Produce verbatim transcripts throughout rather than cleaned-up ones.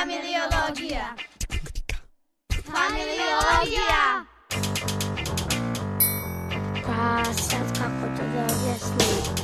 Familiologija. Familiologija. Pa sad kako to da objasnim?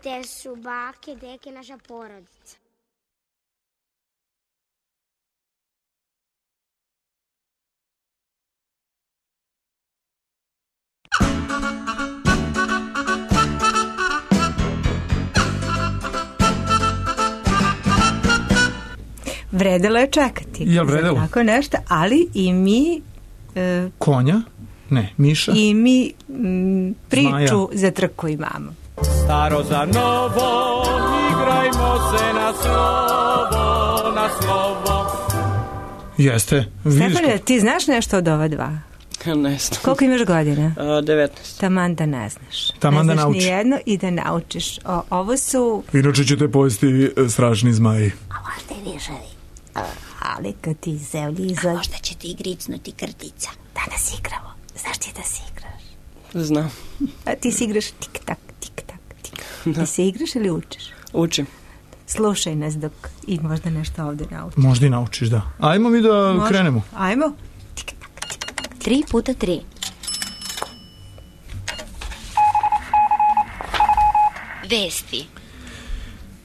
Gde su bake, deke, naša porodica. Vredelo je čekati. Jel vredelo? Tako nešto, ali i mi... E, Konja? Ne, miša? I mi m, priču Zmaja. Za trku imamo. Staro za novo, igrajmo se na slovo, na slovo. Jeste, vidiš. Stefane, ti znaš nešto od ova dva? Ne znam. Koliko imaš godina? Uh, devetnaest. Taman da ne znaš. Taman ne da nauči. Ne znaš nijedno i da naučiš. O, ovo su... Inače ćete pojesti strašni zmaji. A možda i višavi. Ali kad ti zemlji izgled... A možda će ti gricnuti krtica. Danas igramo. Znaš ti da si igraš? Znam. A ti si igraš tik-tak, tik-tak, tik-tak. Ti se igraš ili učiš? Učim. Slušaj nas dok i možda nešto ovde naučiš. Možda i naučiš, da. Ajmo mi da možda. Krenemo. Ajmo. Tik-tak, tik-tak. Tri puta tri. Vesti.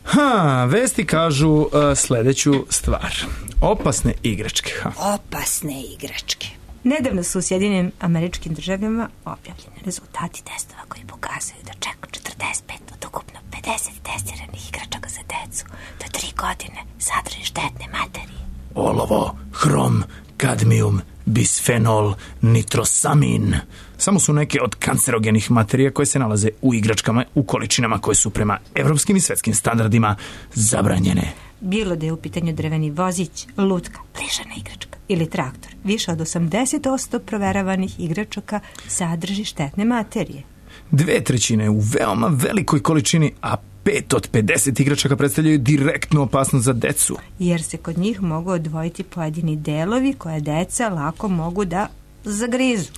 Ha, vesti kažu uh, sledeću stvar. Opasne igračke. Ha. Opasne igračke. Nedavno su u Sjedinim Američkim Državama objavljeni rezultati testova koji pokazuju da čak četrdeset pet od ukupno pedeset testiranih igračaka za decu do tri godine sadrži štetne materije. Olovo, hrom, kadmijum, bisfenol, nitrosamin. Samo su neke od kancerogenih materija koje se nalaze u igračkama u količinama koje su prema evropskim i svetskim standardima zabranjene. Bilo da je u pitanju drveni vozić, lutka, plišana igračka ili traktor, više od osamdeset posto proveravanih igračaka sadrži štetne materije. Dve trećine u veoma velikoj količini, a pet od pedeset igračaka predstavljaju direktnu opasnost za decu. Jer se kod njih mogu odvojiti pojedini delovi koje deca lako mogu da zagrizu.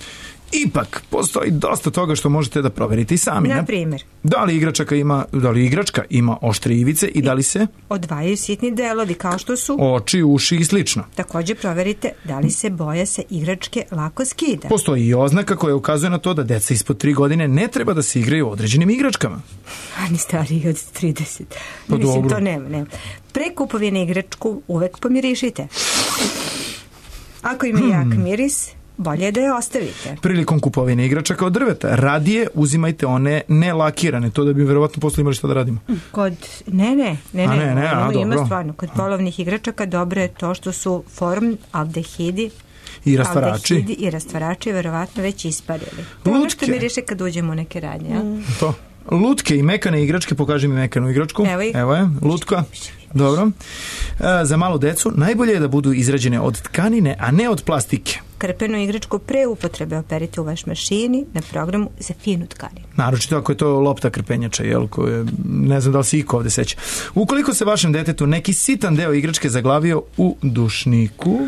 Ipak, postoji dosta toga što možete da proverite i sami. Na primjer? Da li igračaka ima, da li igračka ima oštre ivice i da li se odvajaju sitni delovi kao što su oči, uši i slično. Također proverite da li se boja sa igračke lako skida. Postoji i oznaka koja ukazuje na to da deca ispod tri godine ne treba da se igraju određenim igračkama. A ni stariji od trideset. Pa Mislim, dobro. to nema, nema. Pre kupovine igračku uvek pomirišite. Ako ima hmm. jak miris, bolje je da je ostavite. Prilikom kupovine igračaka od drveta, radije uzimajte one nelakirane, to da bi verovatno posle imali šta da radimo. Kod, ne, ne, ne, a ne, ne, ne a, ima dobro. stvarno, kod polovnih igračaka dobro je to što su formaldehidi i rastvarači. Aldehidi i rastvarači verovatno već isparili. To ono što mi reše kad uđemo u neke radnje. Mm. To. Lutke i mekane igračke, pokaži mi mekanu igračku. Evo, Evo je, lutka. Dobro. E, za malu decu najbolje je da budu izrađene od tkanine, a ne od plastike. Krpenu igračku pre upotrebe operite u vaš mašini na programu za finu tkaninu. Naročito ako je to lopta krpenjača, jel, koje, ne znam da li se iko ovde seća. Ukoliko se vašem detetu neki sitan deo igračke zaglavio u dušniku,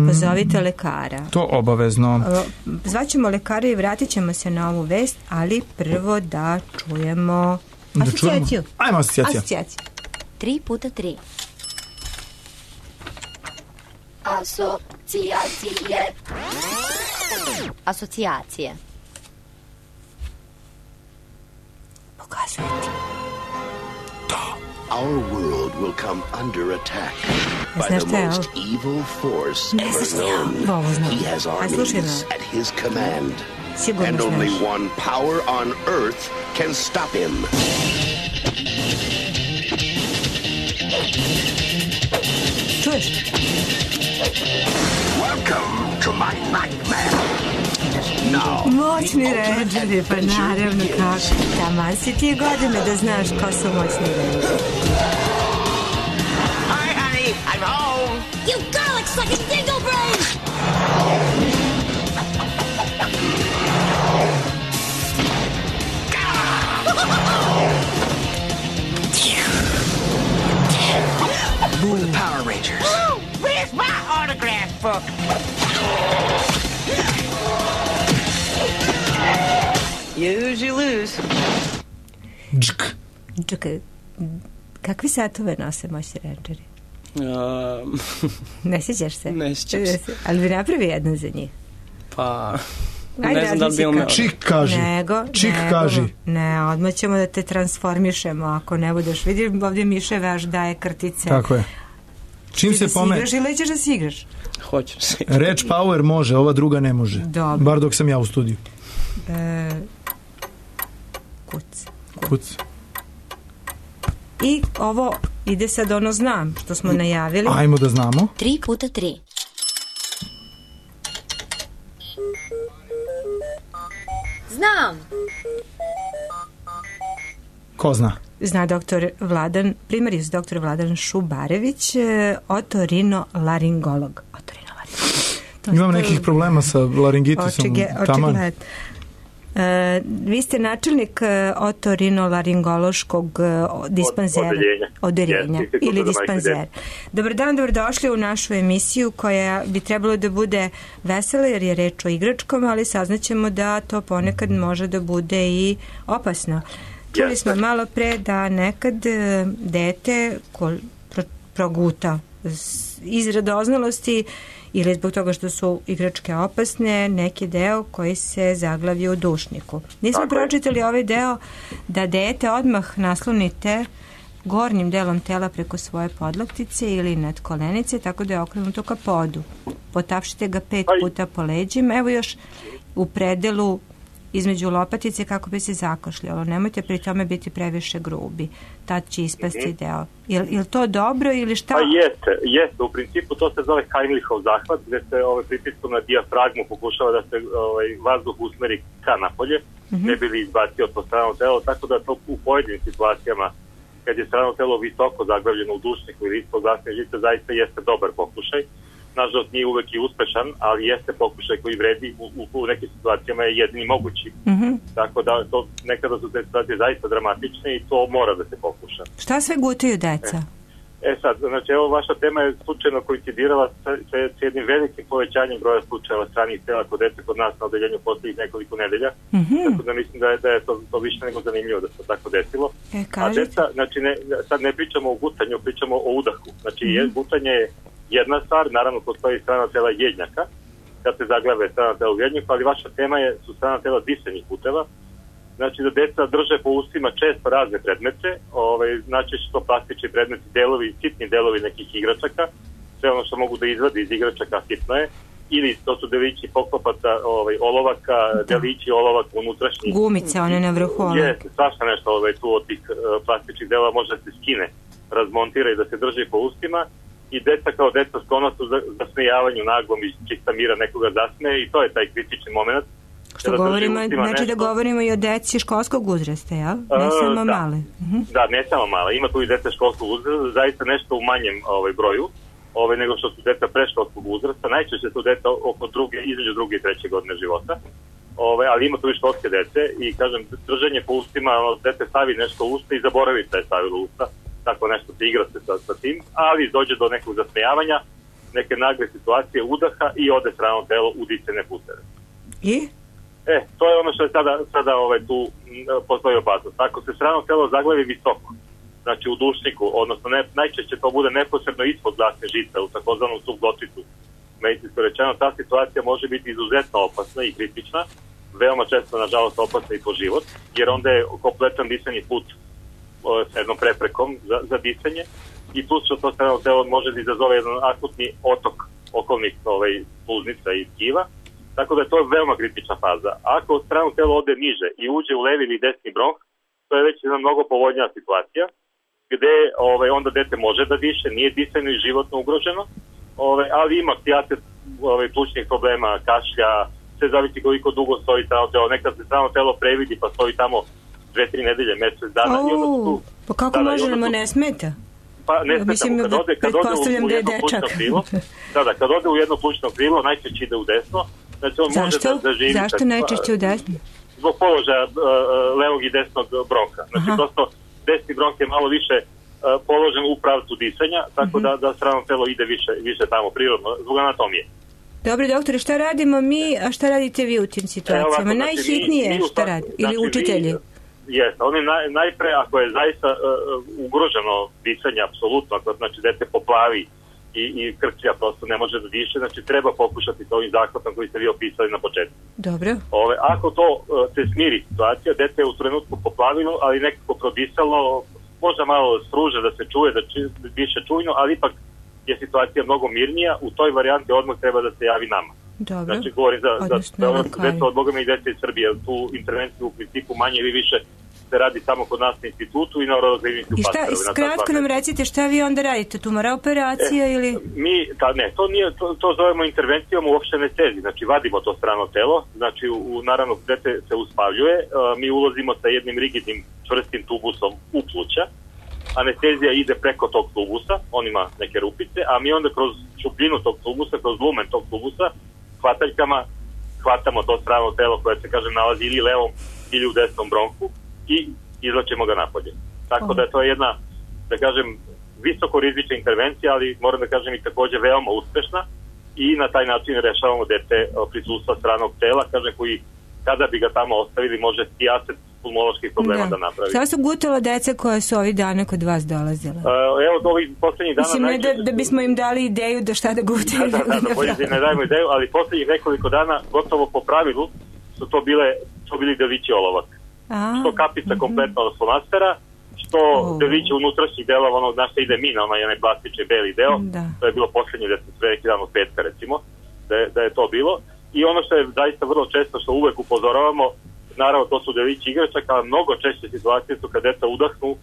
pozovite lekara. To obavezno. Zvaćemo lekara i vratit ćemo se na ovu vest, ali prvo da čujemo da asocijaciju. Čujemo. Ajmo asocijacija. Asocijacija. Tri puta tri. Asocijacije. Asocijacije. Pokazujem ti. Our world will come under attack by the most evil force ever known. He has armies at his command, and only one power on earth can stop him. Čuješ? Welcome to my nightmare. Now, moćni rendžeri, pa naravno kako. Taman si ti godine da znaš ko su moćni rendžeri. Hi, honey, I'm home. You garlic sucking dingle brain! We're the Power Rangers. Ooh, where's my autograph book? Use, you lose. Džk. Čekaj, kakvi satove nose moćni rendžeri? Um, Ne sjećaš se? Ne sjećam se. Ali bi napravi jedan za njih. pa... Ajde, ne znam da li bi razmisli umeo. kako. Čik kaži. Nego, Čik nego, kaži. Ne, odmah ćemo da te transformišemo ako ne budeš. Vidim ovdje Miše vaš daje krtice. Tako je. Čim Ti se da si pome... igraš ili ćeš da si igraš? Hoću se. Reč power može, ova druga ne može. Dobro. Bar dok sam ja u studiju. E, kuc. Kuc. I ovo ide sad ono znam što smo najavili. Ajmo da znamo. Tri puta tri. Znam! Ko zna? Zna doktor Vladan, primarijus doktor Vladan Šubarević, e, otorinolaringolog. Otorinolaringolog. To Imam to- nekih problema sa laringitisom. Očige, Taman. očigledno. E, vi ste načelnik e, otorinolaringološkog e, dispanzera. Odeljenja. Odeljenja. Jeste, Ili Instituta za majke i dispanzer. Dobar dan, dobrodošli u našu emisiju koja bi trebalo da bude vesela jer je reč o igračkama, ali saznaćemo da to ponekad može da bude i opasno. Čuli Jeste. smo malo pre da nekad e, dete ko pro, proguta s- iz radoznalosti ili zbog toga što su igračke opasne, neki deo koji se zaglavi u dušniku. Nismo Tako je. pročitali ovaj deo da dete odmah naslonite gornjim delom tela preko svoje podlaktice ili nad kolenice, tako da je okrenuto ka podu. Potapšite ga pet Aj. puta po leđima, evo još u predelu između lopatice kako bi se zakošljalo. Nemojte pri tome biti previše grubi. Tad će ispasti Mhm. deo. Je li to dobro ili šta? Pa jeste, jeste. U principu to se zove Heimlichov zahvat, gde se ovaj, pritiskom na dijafragmu pokušava da se ovaj, vazduh usmeri ka napolje, Mhm. ne bi li izbacio po strano telo, tako da to u pojedinim situacijama, kad je strano telo visoko zaglavljeno u dušniku ili ispod glasne žice, zaista jeste dobar pokušaj. Nažalost nije uvek i uspešan, ali jeste pokušaj koji vredi u, u, u nekim situacijama je jedini mogući. Mhm. Tako da to, nekada su te situacije zaista dramatične i to mora da se pokuša. Šta sve gutaju deca? E sad, znači evo vaša tema je slučajno koincidirala sa, sa, sa jednim velikim povećanjem broja slučajeva stranih tela kod dece kod nas na odeljenju poslednjih nekoliko nedelja. Mhm. Tako da mislim da je, da je to, to više nego zanimljivo da se tako desilo. E, A kažete? deca, znači ne, sad ne pričamo o gutanju, pričamo o udahu. Znači je, gutanje je jedna stvar, naravno postoji strana tela jednjaka, kad se zaglave strana tela u jednjaku, ali vaša tema je, su strana tela disenih puteva. Znači da deca drže po ustima često razne predmete, ovaj, znači što to plastični predmeti, delovi, sitni delovi nekih igračaka, sve ono što mogu da izvadi iz igračaka sitno je, ili to su delići poklopaca, ovaj, olovaka, delići olovaka unutrašnjih. Gumice, one na vrhu olovaka. Jeste, svašta nešto ovaj, tu od tih uh, plastičnih delova može da se skine, razmontira i da se drži po ustima i deca kao deca sklona su za, za smejavanju naglom iz čista mira nekoga zasmeje i to je taj kritični moment. Što Kada drži govorimo, u ustima znači da nešto. govorimo i o deci školskog uzrasta, jel? Ne A, samo da. male. Mhm. Da, ne samo mala, ima tu i deca školskog uzrasta, zaista nešto u manjem ovaj, broju, ovaj, nego što su deca preškolskog uzrasta, najčešće su deca oko druge, između druge i treće godine života, ovaj, ali ima tu i školske dece i kažem, držanje po ustima, ono, dete stavi nešto u usta i zaboravi šta je stavilo u usta, tako nešto se igra se sa, sa tim, ali dođe do nekog zasmejavanja, neke nagle situacije udaha i ode strano telo u disajne puteve. I? E, to je ono što je sada, sada ovaj, tu m, postoji opasnost. Ako se strano telo zaglavi visoko, znači u dušniku, odnosno ne, najčešće to bude neposredno ispod glasne žice, u takozvanom subglotticu, medicinsko rečeno, ta situacija može biti izuzetno opasna i kritična, veoma često, nažalost, opasna i po život, jer onda je kompletan disajni put o, s jednom preprekom za, za disanje i plus što to strano telo može da izazove jedan akutni otok okolnih ovaj, sluznica i tkiva. Tako da je to veoma kritična faza. Ako strano telo ode niže i uđe u levi ili desni bronh, to je već jedna mnogo povoljnija situacija, gde ovaj, onda dete može da diše, nije disajno i životno ugroženo, ove, ali ima psijater ove, plućnih problema, kašlja, sve zavisi koliko dugo stoji strano telo. Nekad se strano telo previdi pa stoji tamo dve, tri nedelje, mjesec dana. O, I onda tu, pa kako da, može da, nam ne smeta? Pa ne smeta, Mislim, kad ode, kad ode u, u da je jedno dečak. plućno krilo, da, da, kad ode u jedno plućno krilo, najčešće ide u desno. Znači on Zašto? može da, da živi... Zašto kad, najčešće u desno? Zbog položaja uh, levog i desnog bronka. Znači, Aha. prosto, desni bronk je malo više uh, položen u pravcu disanja, tako mm-hmm. da, da strano telo ide više, više tamo prirodno, zbog anatomije. Dobro, doktore, šta radimo mi, a šta radite vi u tim situacijama? E, ovako, znači, Najhitnije mi, mi šta radi? Ili znači, učitelji? Jeste, oni naj, najpre, ako je zaista uh, ugroženo disanje, apsolutno, ako znači dete poplavi i, i krčija prosto ne može da diše, znači treba pokušati s ovim zahvatom koji ste vi opisali na početku. Dobro. Ove, ako to uh, se smiri situacija, dete je u trenutku poplavilo, ali nekako prodisalo, možda malo struže da se čuje, da, či, da diše čujno, ali ipak je situacija mnogo mirnija, u toj varijanti odmah treba da se javi nama. Dobro. Znači, govorim za, Odnosno, za, za deca od Boga mi i dece iz Srbije. Tu intervenciju u principu manje ili više se radi samo kod nas na institutu i na Euroklinici u I šta, Pasterovi. skratko nam recite šta vi onda radite? Tumora operacija e, ili... Mi, ta, ne, to, nije, to, to zovemo intervencijom u opšte anesteziji. Znači, vadimo to strano telo, znači, u, u, naravno, dete se uspavljuje, a, mi ulazimo sa jednim rigidnim čvrstim tubusom u pluća, anestezija ide preko tog tubusa, on ima neke rupice, a mi onda kroz šupljinu tog tubusa, kroz lumen tog tubusa, hvataljkama hvatamo to strano telo koje se, kažem, nalazi ili levom ili u desnom bronku i izlačemo ga napolje. Tako da je to jedna, da kažem, visoko rizična intervencija, ali moram da kažem i također veoma uspešna i na taj način rešavamo dete prisustva stranog tela, kažem, koji kada bi ga tamo ostavili može stijaset pulmoloških problema da, da napravi. Sada su gutala deca koja su ovih dana kod vas dolazila? Uh, evo, do ovih poslednjih dana... Mislim, ne da, da bismo im dali ideju da šta da gutaju. Da, da, da, da bolje da ne dajemo ideju, ali poslednjih nekoliko dana, gotovo po pravilu, su to bile, su bili delići olovak. A, što kapica uh-huh. kompletno od flomastera, što oh. delići unutrašnjih delova onog na što ide mina, onaj onaj plastični beli deo, da. To je bilo poslednje da se sve neki dan od petka, recimo, da je, da je to bilo. I ono što je zaista vrlo često, što uvek upozoravamo, naravno to su delići igračaka, ali mnogo češće situacije su kad deca udahnu uh,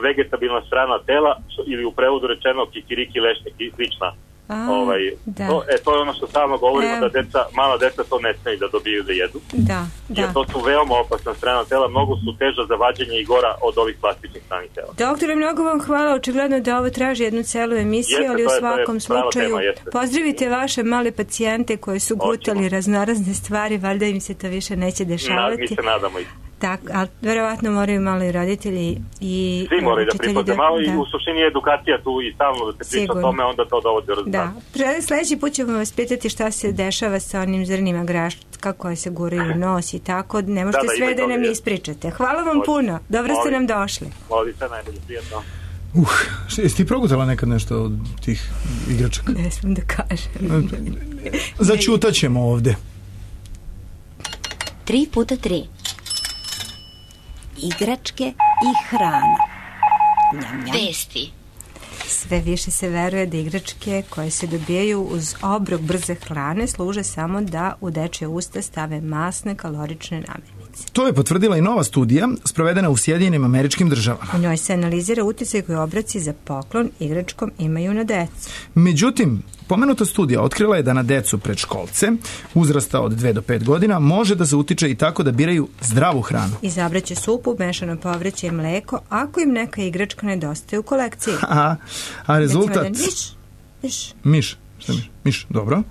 vegetabilna strana tela, što, ili u prevodu rečeno kikiriki lešnik i slična. A, ovaj, da. to, e, to je ono što stalno govorimo, e. da deca, mala deca to ne smeju da dobiju da jedu. Da, da. Jer to su veoma opasna strana tela, mnogo su teža za vađenje i gora od ovih plastičnih stranih tela. Doktore, mnogo vam hvala, očigledno da ovo traži jednu celu emisiju, jeste, ali u svakom je, slučaju tema, pozdravite vaše male pacijente koji su gutali Oćemo. raznorazne stvari, valjda im se to više neće dešavati. Na, mi se nadamo i Tak, ali verovatno moraju malo i roditelji i svi moraju da pripaze malo da. I u suštini je edukacija tu i stalno da se priča o tome, onda to dovodi do rezultata. Da, sledeći put ćemo vas pitati šta se dešava sa onim zrnima graška koje se guraju u nos i tako, ne možete da, da, sve da nam je. ispričate. Hvala vam Molim. puno, dobro Molim. ste nam došli. Molim se, najbolje, prijatno. Uh, jesi ti progutala nekad nešto od tih igračaka? Ne smijem da kažem. Začutaćemo ovde. Tri puta tri. Igračke i hrana. Njam, njam. Vesti. Sve više se veruje da igračke koje se dobijaju uz obrok brze hrane služe samo da u dečje usta stave masne kalorične namirnice. To je potvrdila i nova studija sprovedena u Sjedinjenim Američkim Državama. U njoj se analizira uticaj koji obroci za poklon igračkom imaju na decu. Međutim, pomenuta studija otkrila je da na decu predškolce uzrasta od dve do pet godina može da se utiče i tako da biraju zdravu hranu. Izabraće supu, mešano povrće i mleko ako im neka igračka nedostaje u kolekciji. A, a rezultat... Miš, miš. Miš, šta miš? Miš, dobro.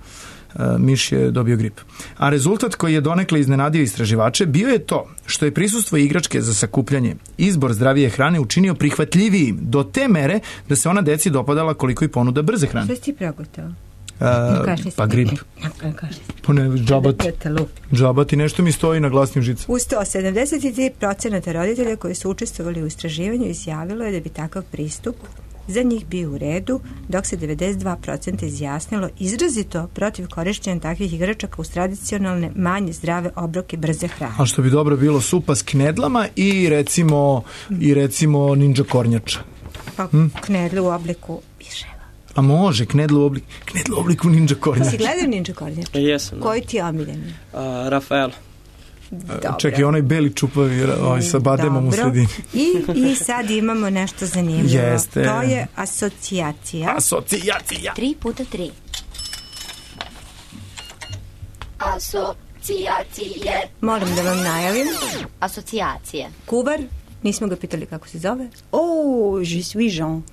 Uh, miš je dobio grip. A rezultat koji je donekle iznenadio istraživače bio je to što je prisustvo igračke za sakupljanje izbor zdravije hrane učinio prihvatljivijim do te mere da se ona deci dopadala koliko i ponuda brze hrane. Što si ti progutao? Uh, pa grip. Pa ne, džabati. Džabati, nešto mi stoji na glasnim žicama. U sto sedamdeset tri procenta roditelja koji su učestvovali u istraživanju izjavilo je da bi takav pristup za njih bio u redu, dok se devedeset dva procenta izjasnilo izrazito protiv korišćenja takvih igračaka uz tradicionalne, manje zdrave obroke brze hrane. A što bi dobro bilo supa s knedlama i recimo, i recimo ninja kornjača. Pa hm? knedle u obliku piševa. A može, knedlu u obliku, knedlu u obliku ninja kornjača. Si gledao ninja kornjača? Jesam. Koji ti je omiljen? Uh, Rafael. Dobro. Čekaj, onaj beli čupavi ovaj, sa bademom u sredini. I, I sad imamo nešto zanimljivo. Jeste. To je asocijacija. Asocijacija. Tri puta tri. Asocijacije. Moram da vam najavim. Asocijacije. Kubar, nismo ga pitali kako se zove. Oh, je suis Jean.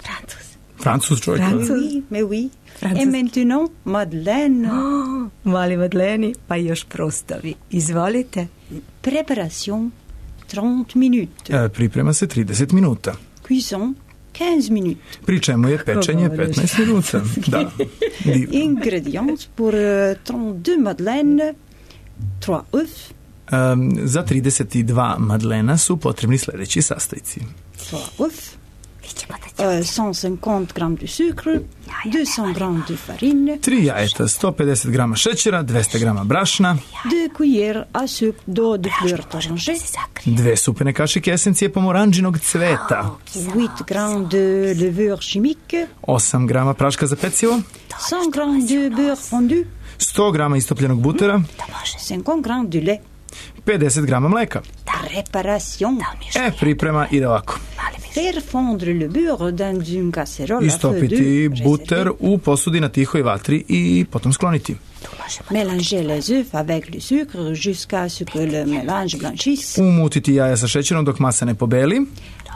Francus. Francus čovjek. Mais oui, mais oui. Et maintenant, Madeleine. Oh, mali Madleni, pa još prostavi. Izvolite. Préparation, trente minutes. E, priprema se trideset minuta. Cuisson, quinze minutes. Pri čemu je pečenje petnaest minuta. Da. Ingredients pour uh, trente-deux madeleines, trois œufs. Um, za trideset dva madlena su potrebni sljedeći sastojci. trois œufs. Uh, cent cinquante grammes de sucre, deux cents grammes de farine, tri jajeta, sto pedeset grama šećera, dvesta grama brašna, deux cuillères à soupe d'eau de fleur d'oranger, dve supene kašike esencije pomoranđinog cveta, huit grammes de levure chimique, osam grama praška za pecivo, cent grammes de beurre fondu, sto grama istopljenog butera, cinquante grammes de lait. pedeset grama mleka. Préparation. E, priprema ide ovako. Faire fondre le beurre dans une casserole. Istopiti buter u posudi na tihoj vatri i potom skloniti. Mélanger les œufs avec le sucre jusqu'à ce que le mélange blanchisse. Umutiti jaja sa šećerom dok masa ne pobeli.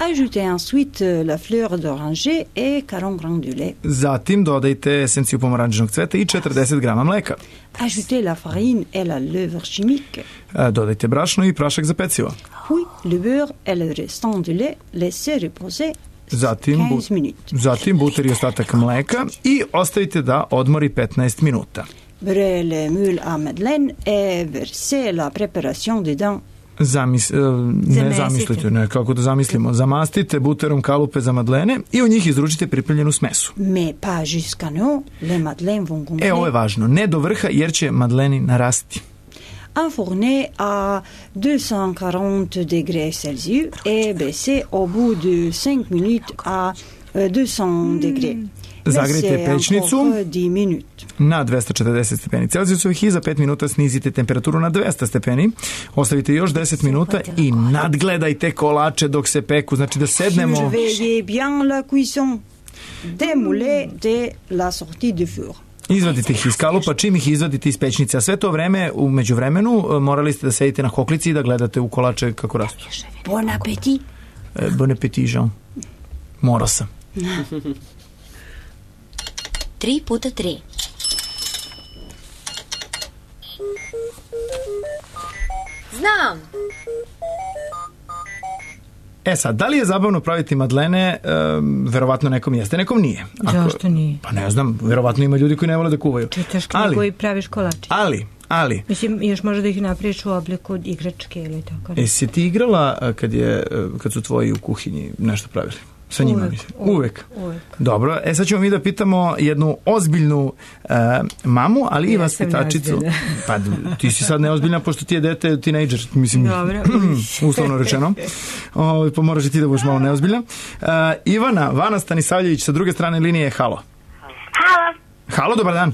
Ajoutez ensuite la fleur d'oranger et quarante grammes de lait. Zatim dodajte esenciju pomoranđinog cveta i četrdeset grama mleka. Ajoutez la farine et la levure chimique. Dodajte brašno i prašak za pecivo. Oui, le beurre et le restant de lait laissez reposer Zatim, quinze minutes. Zatim buter i ostatak mleka i ostavite da odmori petnaest minuta. Beurrez le moule à madeleine et versez la préparation dedans. Zamis, ne zamislite, ne, kako da zamislimo. Zamastite buterom kalupe za madlene i u njih izručite pripremljenu smesu. Mais pas jusqu'à nous, les madeleines vont gonfler. E, ovo je važno, ne do vrha jer će madleni narasti. Enfourner à deux cent quarante degrés Celsius et baisser au bout de cinq minutes à deux cents degrés. Zagrejte pećnicu na dvesta četrdeset stepeni Celzijusovih i za pet minuta snizite temperaturu na dvesta stepeni. Ostavite još deset minuta i nadgledajte kolače dok se peku. Znači da sednemo... Surveillez bien la cuisson des moulets de la sortie de four. Izvadite ih iz kalupa, čim ih izvadite iz pećnice. A sve to vreme, u međuvremenu, morali ste da sedite na hoklici i da gledate u kolače kako rastu. Bon appétit. E, bon appétit, Jean. Morao sam. Tri puta tri. Znam. E sad, da li je zabavno praviti madlene? E, verovatno nekom jeste, nekom nije. Ako, Zašto nije? Pa ne znam, verovatno ima ljudi koji ne vole da kuvaju. Čitaš knjigu i praviš kolače. Ali, ali... Mislim, još možda da ih napraviš u obliku igračke ili tako. E, si ti igrala kad, je, kad su tvoji u kuhinji nešto pravili? Sa njima, uvek, uvek. uvek. Dobro, e sad ćemo mi da pitamo jednu ozbiljnu uh, mamu, ali i vaspitačicu. Pa ti si sad neozbiljna, pošto ti je dete tinejdžer, mislim, uslovno rečeno. O, pa moraš i ti da budeš malo neozbiljna. Uh, Ivana, Vana Stanisavljević, sa druge strane linije, halo. Halo. Halo, dobar dan.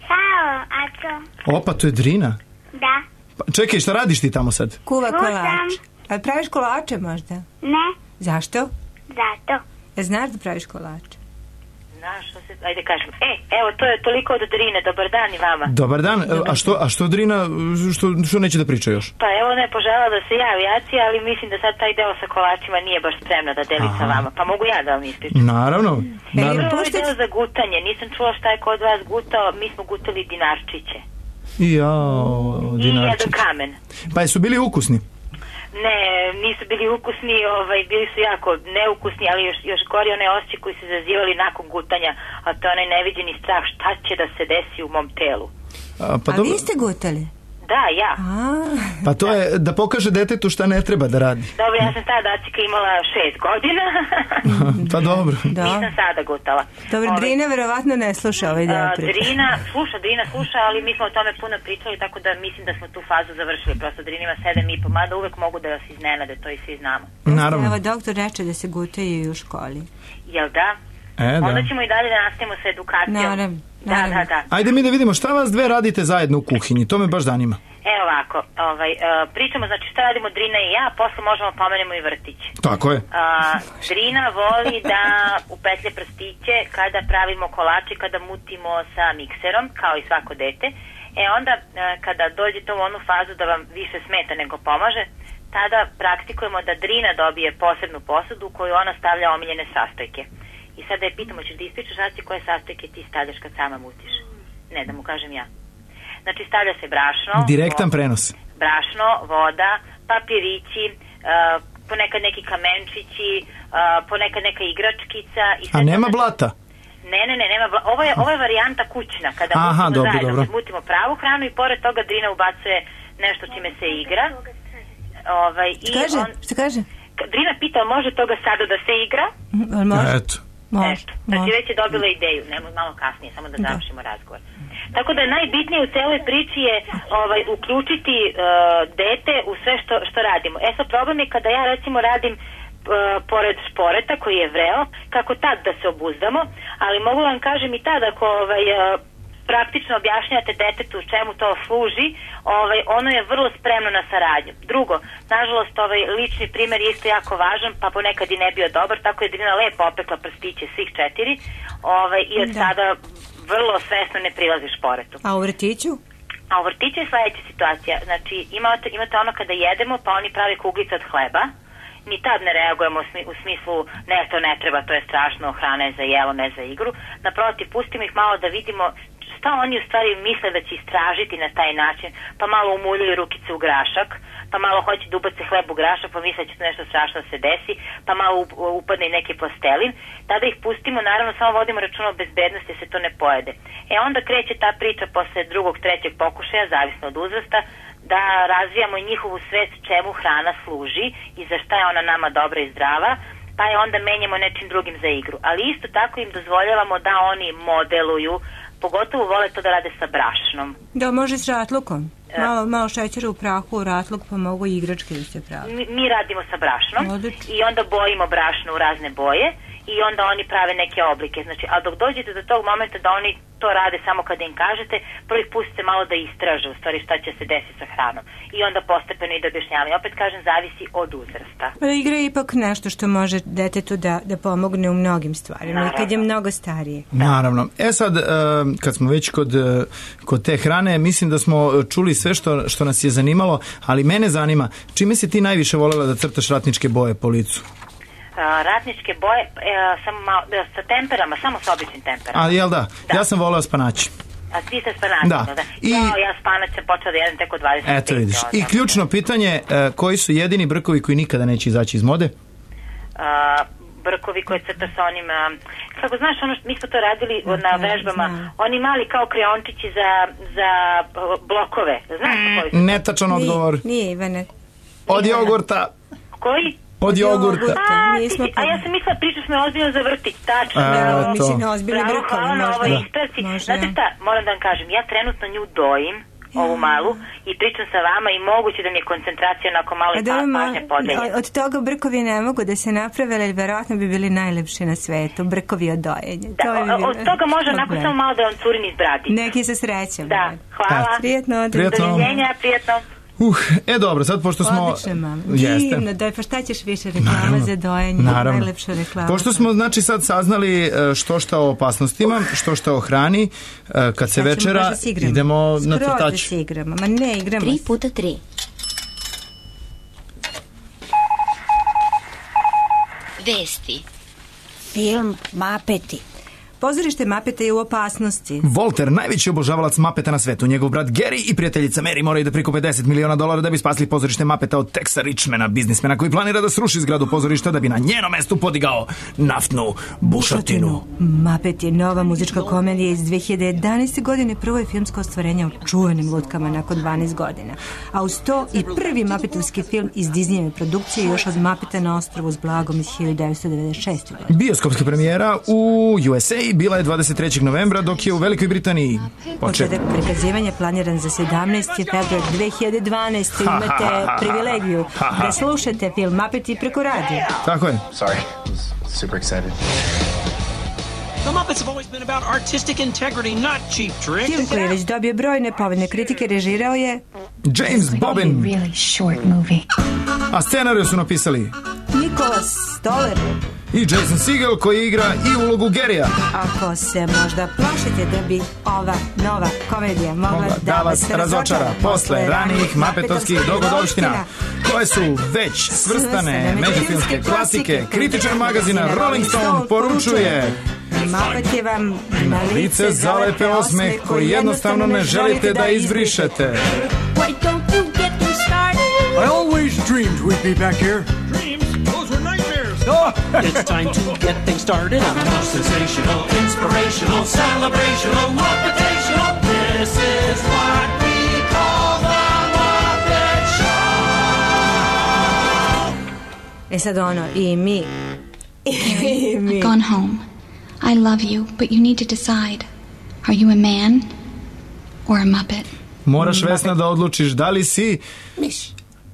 Halo, a to? Opa, to je Drina. Da. Pa, čekaj, šta radiš ti tamo sad? Kuva kolač. A praviš kolače možda? Ne. Zašto? Zato. E, znaš da praviš kolače? Znaš, što se, ajde kažem. E, evo, to je toliko od Drine, dobar dan i vama. Dobar dan, a što, a što Drina, što, što neće da priča još? Pa evo, ne požela da se javi Acija, ali mislim da sad taj deo sa kolačima nije baš spremna da deli Aha. sa vama, pa mogu ja da vam ispričam. Naravno. Naravno. E, ovaj deo za gutanje, nisam čula šta je kod vas gutao, mi smo gutali dinarčiće. Jao, dinarčiće. I jedan kamen. Pa jesu bili ukusni? Ne, nisu bili ukusni, ovaj, bili su jako neukusni, ali još, još gori one osjećaje koji su zazivali nakon gutanja, a to je onaj neviđeni strah šta će da se desi u mom telu. A, pa a dobro... vi ste gutali? Da, ja. A... Pa to je da pokaže detetu šta ne treba da radi. Dobro, ja sam tada Acika imala šest godina. Pa dobro. Da. Nisam sada gutala. Dobro, Ove, Drina verovatno ne sluša ovaj deo priča. Drina sluša, Drina sluša, ali mi smo o tome puno pričali, tako da mislim da smo tu fazu završili. Prosto Drina ima sedam i po, mada uvek mogu da vas iznenade, to i svi znamo. Naravno. Evo, doktor reče da se gutaju i u školi. Jel da? E, da. Onda ćemo i dalje da nastavimo sa edukacijom. Naravno, naravno. Da, da, da. Ajde mi da vidimo šta vas dve radite zajedno u kuhinji, to me baš zanima. Evo ovako, ovaj, uh, pričamo, znači šta radimo Drina i ja, posle možemo pomenemo i vrtić. Tako je. Uh, Drina voli da upetlje prstiće kada pravimo kolače, kada mutimo sa mikserom, kao i svako dete. E onda, uh, kada dođete u onu fazu da vam više smeta nego pomaže, tada praktikujemo da Drina dobije posebnu posudu u koju ona stavlja omiljene sastojke. I sada je pitamo, ćeš da ispričaš Aci koje sastojke ti stavljaš kad sama mutiš? Ne, da mu kažem ja. Znači stavlja se brašno, direktan prenos. Brašno, voda, papirići, uh, ponekad neki kamenčići, uh, ponekad neka igračkica. I A nema to... blata? Ne, ne, ne, nema blata. Ovo je, ovo je varijanta kućna, kada Aha, mutimo dobro, zajedno, dobro. mutimo pravu hranu i pored toga Drina ubacuje nešto čime se igra. Ovaj, što kaže? On... Što kaže? Drina pita, može toga sada da se igra? Mm, može? Eto. Može, Eto, znači već je dobila ideju, nemo malo kasnije, samo da završimo razgovor. Tako da najbitnije u celoj priči je ovaj, uključiti uh, dete u sve što, što radimo. E sad problem je kada ja recimo radim uh, pored šporeta koji je vreo, kako tad da se obuzdamo, ali mogu vam kažem i tad ako ovaj, uh, praktično objašnjate detetu čemu to služi, ovaj, ono je vrlo spremno na saradnju. Drugo, nažalost ovaj lični primjer je isto jako važan, pa ponekad i ne bio dobar, tako je Drina lepo opekla prstiće svih četiri ovaj, i od da. sada vrlo svesno ne prilazi šporetu. A u vrtiću? A u vrtiću je sledeća situacija. Znači, imate, imate ono kada jedemo, pa oni prave kuglice od hleba. Ni tad ne reagujemo u smislu ne, to ne treba, to je strašno, hrana je za jelo, ne za igru. Naprotiv, pustimo ih malo da vidimo šta oni u stvari misle da će istražiti na taj način, pa malo umuljaju rukice u grašak, pa malo hoće da ubace hleb u grašak, pa misle da će to nešto strašno se desi, pa malo upadne i neki plastelin. Tada ih pustimo, naravno samo vodimo računa o bezbednosti da se to ne pojede. E onda kreće ta priča posle drugog, trećeg pokušaja, zavisno od uzrasta, da razvijamo njihovu svest čemu hrana služi i za šta je ona nama dobra i zdrava, pa je onda menjamo nečim drugim za igru. Ali isto tako im dozvoljavamo da oni modeluju, pogotovo vole to da rade sa brašnom. Da, može s ratlukom. Malo, malo šećera u prahu, u ratluk, pa mogu i igračke da se pravi. Mi, mi radimo sa brašnom. Odlično. I onda bojimo brašno u razne boje i onda oni prave neke oblike. Znači, a dok dođete do tog momenta da oni to rade samo kada im kažete, prvi pustite malo da istraže u stvari šta će se desiti sa hranom. I onda postepeno i da objašnjavaju. Opet kažem, zavisi od uzrasta. Pa igra je ipak nešto što može detetu da, da pomogne u mnogim stvarima. Naravno. Kad je mnogo starije. Naravno. E sad, kad smo već kod, kod te hrane, mislim da smo čuli sve što, što nas je zanimalo, ali mene zanima, čime si ti najviše voljela da crtaš ratničke boje po licu? Uh, ratničke boje uh, samo malo, uh, sa temperama, samo sa običnim temperama. A jel da? da? Ja sam voleo spanaći. A ti sa spanaćem, da. da? I... No, ja spanač sam počela da jedem tek od dvadeset pet. Eto vidiš. I ključno pitanje, uh, koji su jedini brkovi koji nikada neće izaći iz mode? Uh, brkovi koje crta sa onim, uh, kako znaš, ono što mi smo to radili no, na vežbama, znam. Oni mali kao kreončići za, za blokove. Znaš mm, koji su? Netačan odgovor. Nije, Ivane. Od jogurta. Koji? Od jogurta. A, ti, a ja sam mislila, pričaš me ozbiljno za vrtić, tačno. A, mislim, ozbiljno brkovi. Hvala na ovoj ispravci. Znate šta, moram da vam kažem, ja trenutno nju dojim, ovu malu, i pričam sa vama i moguće da mi je koncentracija onako malo i pa, pažnja podelja. Od toga brkovi ne mogu da se naprave, ali verovatno bi bili najlepši na svetu, brkovi od dojenja. Da, to bi bilo, od toga može onako samo malo da vam curin iz bradi. Neki sa srećem. Da, hvala. Prijetno. Doviđenja, prijetno. Uh, e dobro, sad pošto smo... Odlično, mama. Divno, daj, pa šta ćeš više reklama za dojenje? Naravno. Najlepša reklama. Pošto smo, znači, sad saznali što šta o opasnostima, što šta o hrani, kad se večera, idemo na crtač. Skroz da se igramo, ma ne, igramo Tri puta tri. Vesti. Film Mapeti. Pozorište Mapeta je u opasnosti. Walter, najveći obožavalac Mapeta na svetu, njegov brat Gary i prijateljica Mary moraju da prikupe deset miliona dolara da bi spasili pozorište Mapeta od Texa Richmana, biznismena koji planira da sruši zgradu pozorišta da bi na njeno mestu podigao naftnu bušotinu. Mapet je nova muzička komedija iz dve hiljade jedanaeste. godine, prvo je filmsko ostvarenje o čuvenim lutkama nakon dvanaest godina. A uz to i prvi Mapetovski film iz Disneyjeve produkcije još od Mapeta na ostrvu s blagom iz hiljadu devetsto devedeset šeste. godine. Bioskopska premijera u U S A bila je dvadeset trećeg novembra, dok je u Velikoj Britaniji počeo. Početak prikazivanja planiran za sedamnaesti februar dve hiljade dvanaeste. Imate privilegiju da slušate film Mapeti preko radija. Tako je. Sorry, I was super excited. The Muppets have always been about artistic integrity, not cheap tricks. Film koji je već dobio brojne povoljne kritike režirao je James Bobbin. Really short movie. A scenariju su napisali Nicholas Stoller i Jason Segel koji igra i ulogu Garyja. Ako se možda plašite da bi ova nova komedija mogla, mogla da vas razočara posle ranijih mapetovskih dogodovština koje su već svrstane među filmske klasike, kritičar magazina Rolling Stone poručuje: Mapet je vam na lice zalepe osmeh koji jednostavno ne želite da izbrišete. I always dreamed we'd be back here. Dreams? Those were nightmares. Oh. It's time to get things started. Sensational, inspirational, celebrational, motivational. This is what we call the Muppet Show. E sad ono, i mi... I mi... I've gone home. I love you, but you need to decide. Are you a man or a Muppet? Moraš, Vesna, da odlučiš da li si... Miš.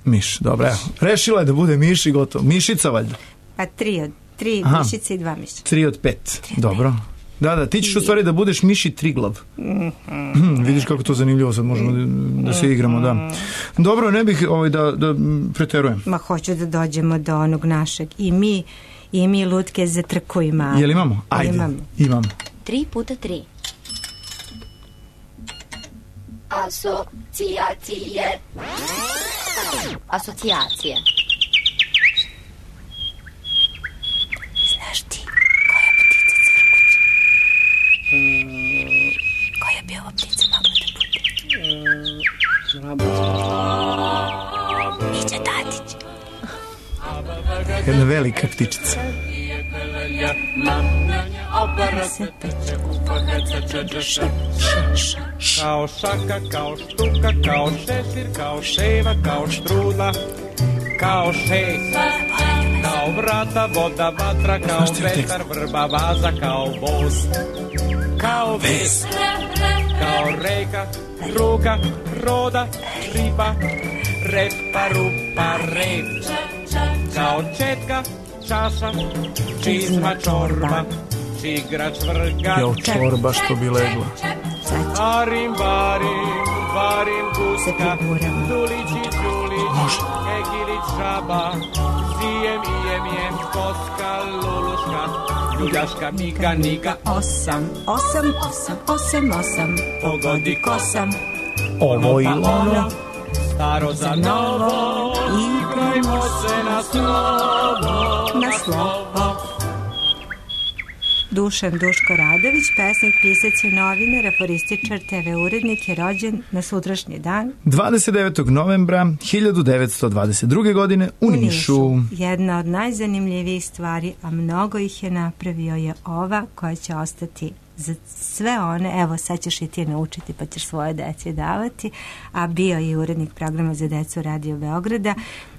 Miš, dobro, evo. Rešila je da bude miš i gotovo. Mišica, valjda. Pa tri od tri Aha. mišice i dva miša. Tri od pet. Tri od dobro. Pet. Da, da, ti ćeš u stvari da budeš miš i triglav. Mm-hmm. Vidiš kako to zanimljivo, sad možemo da, da se igramo, da. Dobro, ne bih ovaj, da, da preterujem. Ma hoću da dođemo do onog našeg. I mi, i mi lutke za trku imamo. Jel imamo? Ajde, imamo. imamo. Tri puta tri. Asocijacije. Asocijacije. Znaš ti koja ptica cvrkuće? Mm. Koja bi ova ptica mogla da bude? Žaba. Mića Tatić. Jedna velika ptičica. Kao šaka, kao štuka, kao šešir, kao ševa, kao štrudla, kao šest, kao vrata, voda, vatra, kao vetar, vrba, vaza, kao voz, kao ves, kao reka, ruka, roda, riba, repa, rupa, rep, kao četka, čaša, čizma, čorba, čigrač, vrga, jel čorba što bi legla? Arim, barim, varim, guska, dulići, čulić, egilić, žaba, zijem, ijem, jem, koska, luluška, ljuljaška, miga, niga, osam, osam, osam, osam, osam, pogodi kosam, ovo i ono, staro za novo, igrajmo se na slovo, na slovo. Dušan Duško Radović, pesnik, pisac i novinar, aforističar, te ve urednik, je rođen na sutrašnji dan dvadeset devetog novembra hiljadu devetsto dvadeset druge. godine u, u Nišu. Nišu. Jedna od najzanimljivijih stvari, a mnogo ih je napravio, je ova koja će ostati za sve one, evo sad ćeš i ti naučiti pa ćeš svoje deci davati, a bio je urednik programa za decu Radio Beograda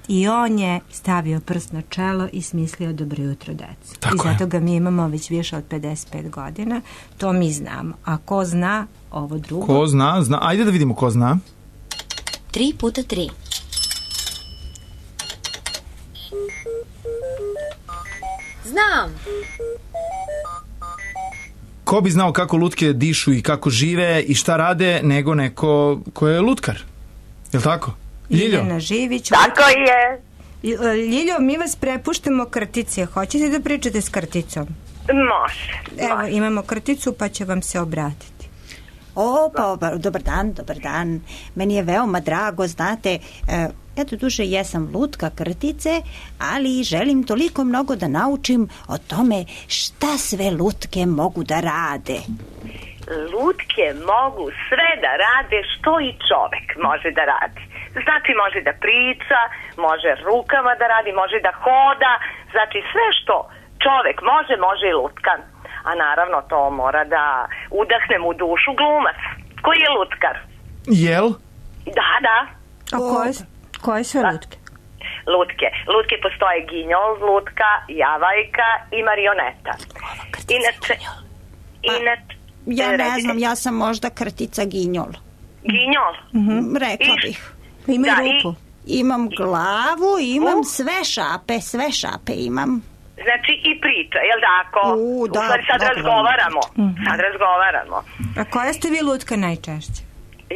i on je stavio prst na čelo i smislio Dobro jutro decu. Tako I zato je. ga mi imamo već više od pedeset pet godina, to mi znamo. A ko zna ovo drugo? Ko zna, zna. Ajde da vidimo ko zna. Tri puta tri. Znam. Ko bi znao kako lutke dišu i kako žive i šta rade nego neko ko je lutkar? Je li tako? Ljiljo? Ljiljana Živić. Tako je. Ljiljo, mi vas prepuštamo krtice. Hoćete da pričate s krticom? Može. Evo, imamo krticu pa će vam se obratiti. O, pa, dobar dan, dobar dan. Meni je veoma drago, znate, e, ja do duše jesam lutka krtice, ali želim toliko mnogo da naučim o tome šta sve lutke mogu da rade. Lutke mogu sve da rade što i čovek može da radi. Znači može da priča, može rukama da radi, može da hoda, znači sve što čovek može, može i lutkan. A naravno to mora da udahne mu dušu glumac. Koji je lutkar? Jel? Da, da. A koje, koje su lutke? Lutke. Lutke postoje ginjol, lutka, javajka i marioneta. Inače, inače, ja ne znam, ja sam možda krtica ginjol. Ginjol? Mm-hmm. Rekla bih. Ima da, rupu. I... Imam glavu, imam sve šape, sve šape imam. Znači i priča, jel tako? U, da, U stvari sad dobro. razgovaramo. Mhm. Sad razgovaramo. A koja ste vi lutka najčešće?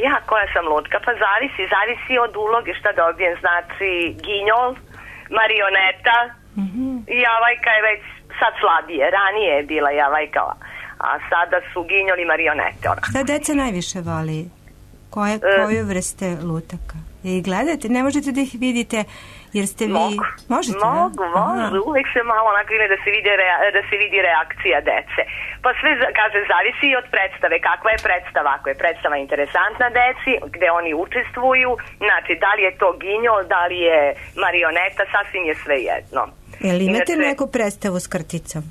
Ja, koja sam lutka? Pa zavisi, zavisi od uloge šta dobijem. Znači, ginjol, marioneta, Mhm. javajka je već sad slabije. Ranije je bila javajka, a sada su ginjol i marionete. Ona. Šta deca najviše voli? Koje, koju vrste lutaka? I gledate, ne možete da ih vidite jer ste vi... Mogu, Možete, mogu, da? može, uvek se malo onako ide da se vidi, rea, da se vidi reakcija dece. Pa sve, kaže, zavisi i od predstave. Kakva je predstava? Ako je predstava interesantna deci, gde oni učestvuju, znači, da li je to ginjol, da li je marioneta, sasvim je sve jedno. Jel imate Inače, neku predstavu s krticom?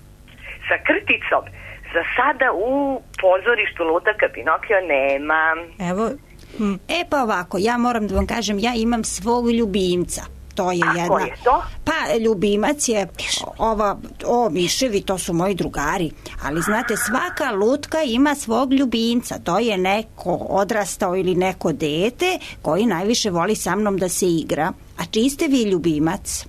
sa krticom, za sada u pozorištu Lutaka Pinokio nema. Evo... E pa ovako, ja moram da vam kažem, ja imam svog ljubimca. To je A jedna... ko je to? Pa ljubimac je ova, o miševi, to su moji drugari, ali znate, svaka lutka ima svog ljubimca, to je neko odrastao ili neko dete koji najviše voli sa mnom da se igra. A čiji ste vi ljubimac?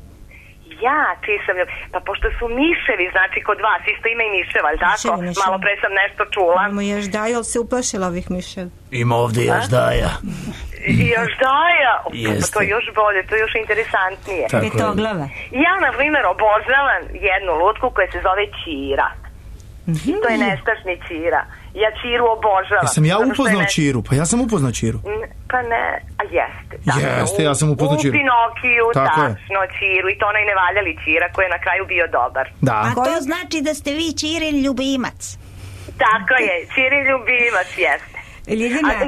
Ja, čiji sam ljub... Pa pošto su miševi, znači kod vas isto ima i miševa, ali tako? Miševi, miševi. Malo pre sam nešto čula. Imamo još daju, ali se uplašila ovih miševa. Ima ovde još daja. I još daja. Jeste. Pa to je još bolje, to je još interesantnije. Tako je. Petoglava. Ja, na primjer, obožavam jednu lutku koja se zove Ćira. To je nestašni Ćira. Ja Ćiru obožavam. Jesam ja zato što je upoznao ne- Ćiru? Pa ja sam upoznao Ćiru. N- Pa ne, a jeste. Jeste, ja sam upoznao Ćiru. U Pinokiju, Tako je. tačno, Ćiru. I to onaj nevaljali Ćira koji je na kraju bio dobar. Da. A to znači da ste vi Čirin ljubimac. Tako je, Ćirin ljubimac jeste. Ljiljana. A,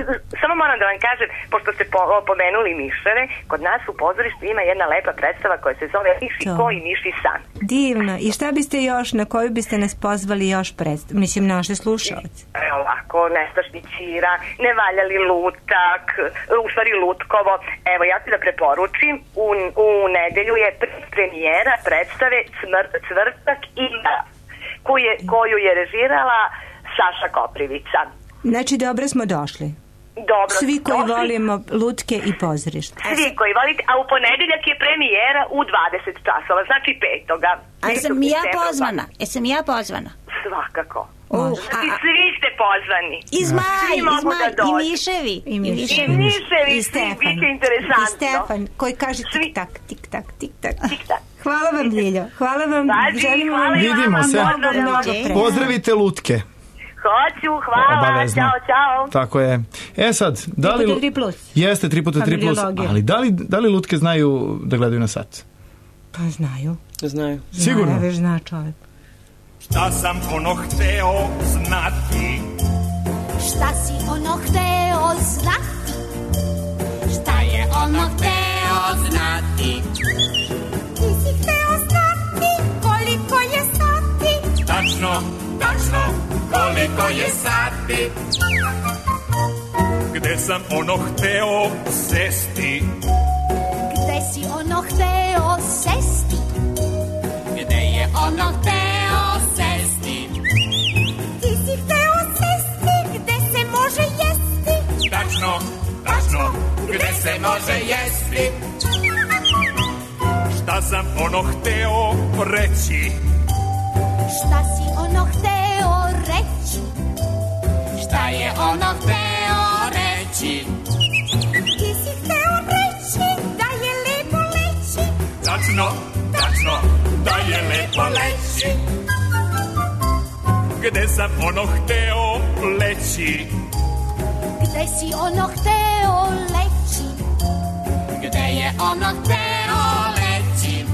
samo moram da vam kažem, pošto ste po, pomenuli miševe, kod nas u pozorištu ima jedna lepa predstava koja se zove Miši To. ko i Miši san. Divno. I šta biste još, na koju biste nas pozvali još predstav? Mislim, naše slušalce. Evo ovako, nestašni Ćira, nevaljali lutak, u stvari lutkovo. Evo, ja ću da preporučim, u, u nedelju je premijera predstave Cmr, Cvrtak i Mrak, koju je, koju je režirala Saša Koprivica. Znači, dobro smo došli. Dobro, Svi koji došli. volimo lutke i pozorište. Svi koji volite, a u ponedeljak je premijera u dvadeset časova, znači petoga. A jesam i ja pozvana? Jesam i ja pozvana? Svakako. Uh, Znači, a- a- svi ste pozvani. I zmaj, Svi i mogu zmaj, da dođu. i miševi. I miševi. I miševi, I svi, Stefan. biće interesantno. I Stefan, koji kaže tik-tak, tik-tak, tik-tak. Tik-tak. Hvala vam, Ljiljo. Hvala vam. Pazi, Želimo hvala vam i vama, Vidimo se. mnogo, mnogo pre. Pozdravite lutke. Hoću, hvala, Obavezno. čao, čao. Tako je. E sad, da li... Tri puta tri plus. Jeste, tri puta tri plus. Familiologija. Ali da li, da li lutke znaju da gledaju na sat? Pa znaju. Znaju. Sigurno. Znaju, već zna čovjek. Šta sam ono hteo znati? Šta si ono hteo znati? Šta je ono hteo znati? Ti si hteo znati koliko je sati? Tačno, tačno, koliko je sati? Gde sam ono hteo sesti? Gde si ono hteo sesti? Gde je ono hteo sesti? Ti si hteo sesti gde se može jesti? Tačno, tačno, gde se može jesti? Šta sam ono hteo reći? Šta si ono hteo reći? Šta je ono hteo reći? Ti si hteo reći da je lepo leći? Tačno, tačno, da je lepo leći. Gde sam ono hteo leći? Gde si ono hteo leći? Gde je ono hteo leći?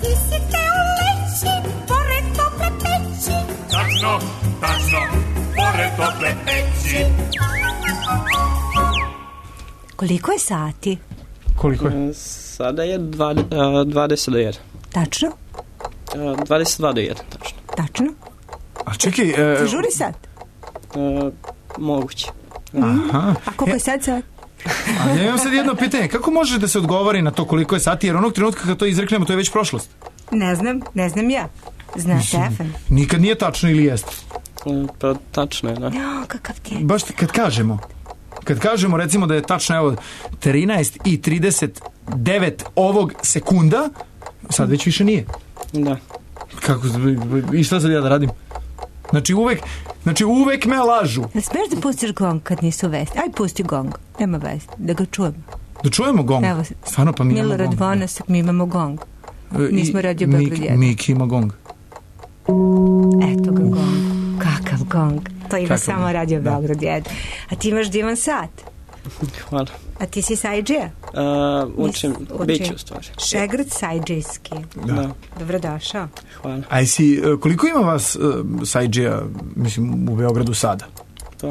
Ti si hteo leći pored tople peći? Tačno, tačno, pored tople peći. Koliko je sati? Koliko je? Sada je dvadeset, dvadeset do jedan. Tačno? dvadeset dva do jedan, tačno. Tačno? A čekaj... E, Ti žuri sad? E, moguće. aha. A koliko je sad sad? A ja imam sad jedno pitanje. Kako može da se odgovori na to koliko je sati? Jer onog trenutka kad to izreknemo, to je već prošlost. Ne znam, ne znam ja. Zna Stefan. Nikad nije tačno ili jeste? E, pa tačno je, da. O, kakav ti je. Baš kad kažemo, kad kažemo recimo da je tačno evo trinaest i trideset devet ovog sekunda, sad već više nije. Da. Kako, i šta sad ja da radim? Znači uvek, znači uvek me lažu. Ne smiješ da pustiš gong kad nisu vesti? Aj, pusti gong, nema vesti, da ga čujemo. Da čujemo gong? Evo, stvarno, pa mi imamo Milorad gong. Vonasak, mi imamo gong. Mi smo radio Beograd jedan. Miki ima gong. Eto ga gong. Kakav gong. To ima Kakav samo gong, radio da. Beograd jedan. A ti imaš divan sat. Hvala. A ti si sajđija? Uh, učim, biću u stvari. Šegrt sajđijski. Da. Dobrodošao. Hvala. A jesi, koliko ima vas uh, sajđija, mislim, u Beogradu sada? Pa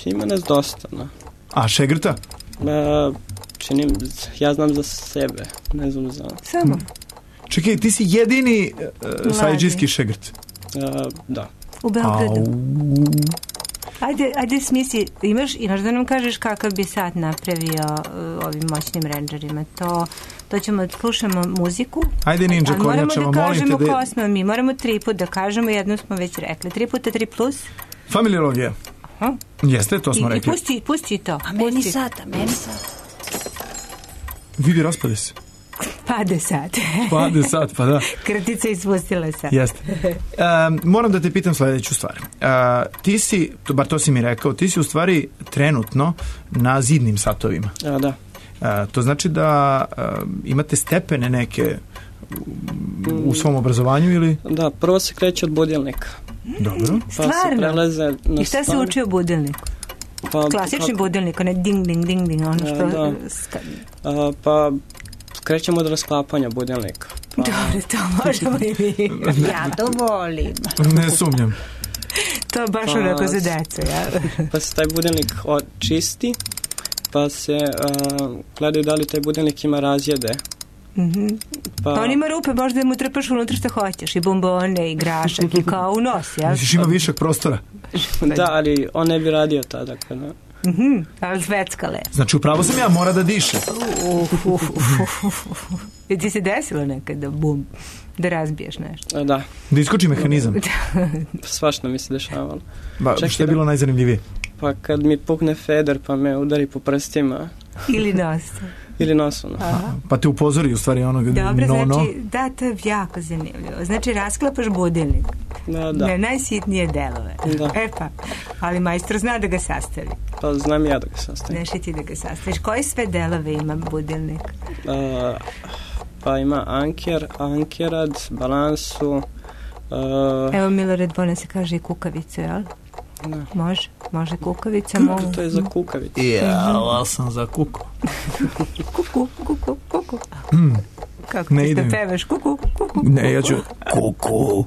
ima nas dosta, no. A Šegrta? Uh, činim, ja znam za sebe, ne znam za... Samo? Hmm. Čekaj, ti si jedini uh, sajđijski Šegrt? Uh, da. U Beogradu. Au. Ajde, ajde smisli, imaš, imaš da nam kažeš kakav bi sat napravio uh, ovim moćnim rendžerima. To, to ćemo da slušamo muziku. Ajde, Ninja Kornjačeva, molim te da... Moramo da kažemo ko smo mi, moramo tri put da kažemo, jedno smo već rekli. Tri puta tri plus? Familiologija. Aha. Jeste, to smo I, rekli. I pusti, pusti to. A meni sat, a meni sat. Vidi, raspade se. Pade sat. Pade sat, pa da. Kratica ispustila sat. Jeste. Um, moram da te pitam sledeću stvar. Uh, ti si, to, bar to si mi rekao, ti si u stvari trenutno na zidnim satovima. A, da. Uh, to znači da uh, imate stepene neke u, u svom obrazovanju ili? Da, prvo se kreće od budilnika. Dobro. Pa se prelaze na I šta se stvar. uči o budilniku? Pa, klasični pa, budilnik, ne ding, ding, ding, ding, ono što... Da. A, pa krećemo od rasklapanja budilnika. Pa... Dobro, to možemo i mi. Ja to volim. Ne sumnjam. To baš pa, onako za decu, ja. Pa se taj budilnik očisti, pa se uh, gledaju da li taj budilnik ima razjede. Mm-hmm. Pa, pa on ima rupe, možda mu trepaš unutra što hoćeš, i bombone, i grašak, i kao u nos, jel? Misliš ima višak prostora? Da, ali on ne bi radio tada. Kada... Mhm, ali zveckale. Znači, upravo sam ja, mora da diše. Uf, uf, uf, uf, uf. Je ti se desilo nekad da bum, da razbiješ nešto? Da. Da iskoči mehanizam? Svašta mi se dešavalo. Ba, Čekaj, što je bilo najzanimljivije? Pa kad mi pukne feder pa me udari po prstima. Ili nos. Ili nosom. Pa te upozori u stvari onog Dobro, no, no. znači, da, to je jako zanimljivo. Znači, rasklapaš budilnik. Da, da. Na najsitnije delove. Da. E pa, ali majstor zna da ga sastavi. Pa znam ja da ga sastavim. Znaš i ti da ga sastaviš. Koje sve delove ima budilnik? Uh, pa ima anker, ankerad, balansu. Uh, Evo, Milorad Bona se kaže i kukavicu, jel? Da. Može, može kukavica. Kuka, to je za kukavicu. Ja, ali sam za kuku. Kuku, kuku, kuku. Mm. Kako ne ti idem. da pevaš? Kuku, kuku. Ne, ja ću kuku.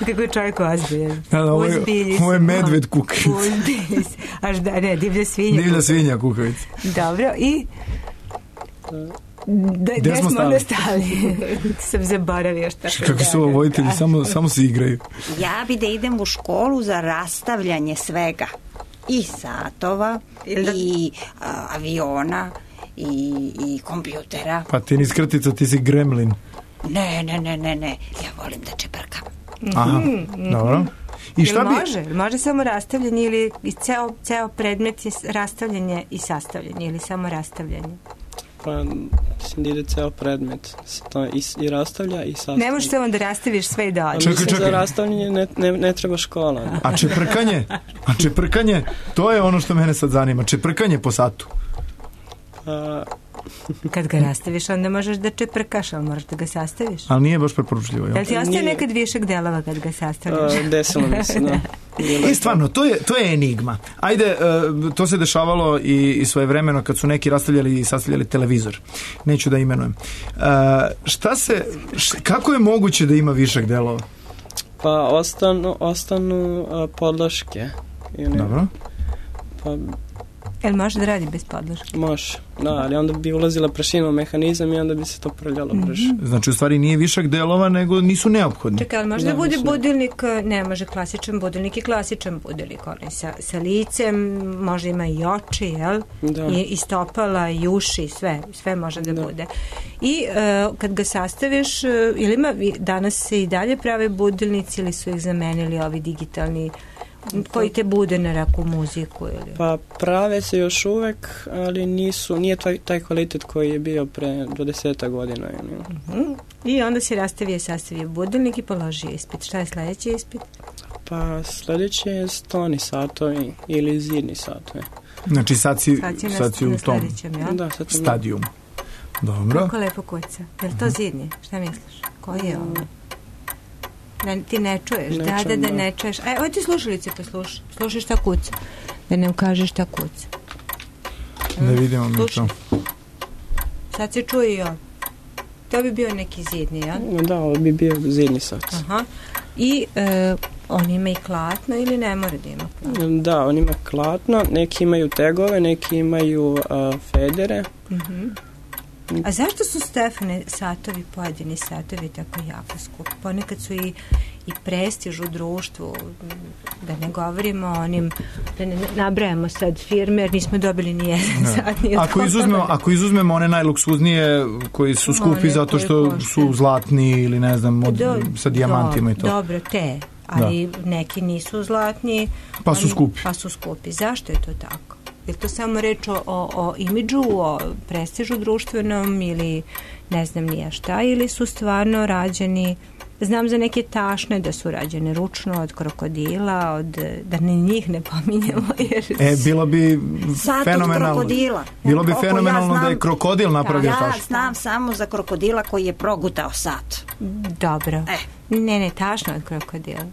Kako je čovjek ozbiljen. Ja, ovo je, ovo je medved kukavica. Uzbilji se. Až da, ne, divlja svinja. Divlja svinja kukavica. Dobro, i... Da, gde smo onda stali? Sam zaboravio šta se kako su ovo voditelji, samo, samo se igraju. Ja bi da idem u školu za rastavljanje svega. I satova, i a, aviona, i, i kompjutera. Pa ti ni skrtica, ti si gremlin. Ne, ne, ne, ne, ne. Ja volim da čeprkam. Aha, mm-hmm. dobro. I šta bi... Može? Može samo rastavljanje ili ceo, ceo predmet je rastavljanje i sastavljanje ili samo rastavljanje? Pa, mislim da ide ceo predmet. To i, i rastavlja i sastavlja. Ne možeš samo da rastaviš sve i da odeš. Čekaj, čekaj. Za rastavljanje ne, ne, ne treba škola. Ne? A čeprkanje? A čeprkanje? To je ono što mene sad zanima. Čeprkanje po satu. Pa... Kad ga rastaviš, onda možeš da čeprkaš, ali moraš da ga sastaviš. Ali nije baš preporučljivo. Jel ti ostaje nekad višak delova kad ga sastaviš? Uh, desilo mi se, da. I stvarno, to je, to je enigma. Ajde, uh, to se dešavalo i, i svoje vremeno kad su neki rastavljali i sastavljali televizor. Neću da imenujem. Uh, šta se, š, kako je moguće da ima višak delova? Pa ostanu, ostanu uh, podloške. Ili, dobro. Pa... Jel može da radi bez podloške? Može, da, ali onda bi ulazila prašina u mehanizam i onda bi se to prljalo brže. Mm-hmm. Znači, u stvari nije višak delova, nego nisu neophodni. Čekaj, ali može da, da bude budilnik, ne može klasičan budilnik i klasičan budilnik, onaj sa, sa licem, može ima i oči, jel? Da. I, i stopala, i uši, sve, sve može da, da. bude. I uh, kad ga sastaviš, uh, ili ima, danas se i dalje prave budilnici ili su ih zamenili ovi digitalni koji te bude na neku muziku ili? Pa prave se još uvek, ali nisu, nije taj, taj kvalitet koji je bio pre dvadeseta godina. Uh-huh. I onda si rastavio, sastavio budilnik i položio ispit. Šta je sledeći ispit? Pa sledeće je stoni satovi ili zidni satovi. Znači sad si, sad si, sad si u tom ja? da, stadijumu. Dobro. Kako lepo kuca. Je li to zidni? Šta misliš? Koji je ovo? Da ti ne čuješ, ne da, da, da, da ne čuješ. E, ovo ti slušalice pa slušaj. Slušaj šta kuca. Da ne ukažeš šta kuca. Da vidimo mi to. Sad se čuje i ovo. To bi bio neki zidni, ja? Da, ovo bi bio zidni sat. Aha. I e, on ima i klatno ili ne mora da ima klatno? Da, on ima klatno, neki imaju tegove, neki imaju a, federe. Uh-huh. A zašto su, Stefane, satovi, pojedini satovi tako jako skupi? Ponekad su i, i prestiž u društvu, da ne govorimo o onim, da ne nabrajamo sad firme, jer nismo dobili ni jedan sat. Ni ako, izuzmemo, ako izuzmemo one najluksuznije koji su skupi one zato što košte. Su zlatni ili ne znam, od, do, sa dijamantima do, i to. Dobro, te, ali da. Neki nisu zlatni. Pa su oni, skupi. Pa su skupi. Zašto je to tako? Je to samo reč o, o, o imidžu, o prestižu društvenom ili ne znam nije šta, ili su stvarno rađeni, znam za neke tašne da su rađene ručno od krokodila, od, da ne njih ne pominjemo. Jer e, bilo bi Sad fenomenalno. Od krokodila. Bilo bi fenomenalno ja znam, da je krokodil napravio tašnu. Ja znam samo za krokodila koji je progutao sat. Dobro. E. Ne, ne, tašno od krokodila.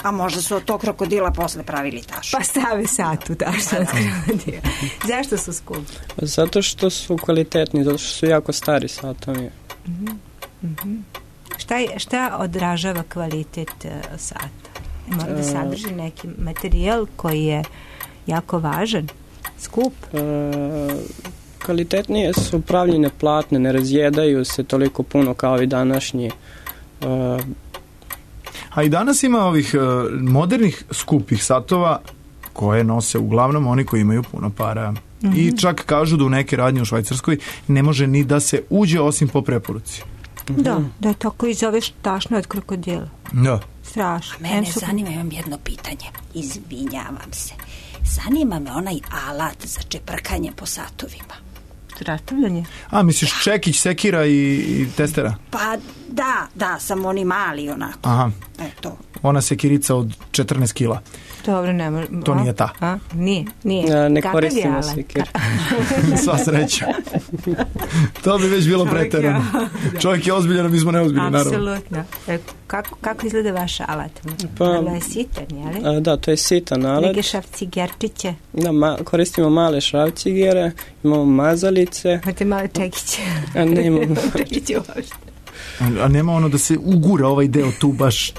A možda su od tog krokodila posle pravili tašu. Pa stave sat u tašnu od krokodila. Zašto su skupi? Zato što su kvalitetni, zato što su jako stari satovi. Mm-hmm. Mm-hmm. Šta, je, šta odražava kvalitet uh, sata? Mora da sadrži neki materijal koji je jako važan, skup? Uh, kvalitetnije su pravljene platne, ne razjedaju se toliko puno kao i današnji. Uh, A i danas ima ovih uh, modernih skupih satova koje nose uglavnom oni koji imaju puno para. Mm-hmm. I čak kažu da u neke radnje u Švajcarskoj ne može ni da se uđe osim po preporuci. Mm-hmm. Da, da je tako i zoveš tašno od krokodila. Da. Strašno. A mene su... zanima, imam jedno pitanje. Izvinjavam se. Zanima me onaj alat za čeprkanje po satovima. Rastavljanje? A, misliš čekić, sekira i, i testera? Pa da, da, samo oni mali onako. Aha. E, to. Ona sekirica od četrnaest kila. Dobro, ne može. To nije ta. A? Nije, nije. Ja, ne koristimo sekir. Sva sreća. To bi već bilo preterano. Čovjek je ozbiljan, a mi smo neozbiljni, naravno. Apsolutno. E, kako, kako izgleda vaš alat? Pa, Vrlo je sitan, je li? A, da, to je sitan alat. Neke šrafcigerčiće. Da, ma, koristimo male šrafcigere, imamo mazalice. Imate male čekiće. A ne imamo. Čekiće uopšte. A nema ono da se ugura ovaj deo tu baš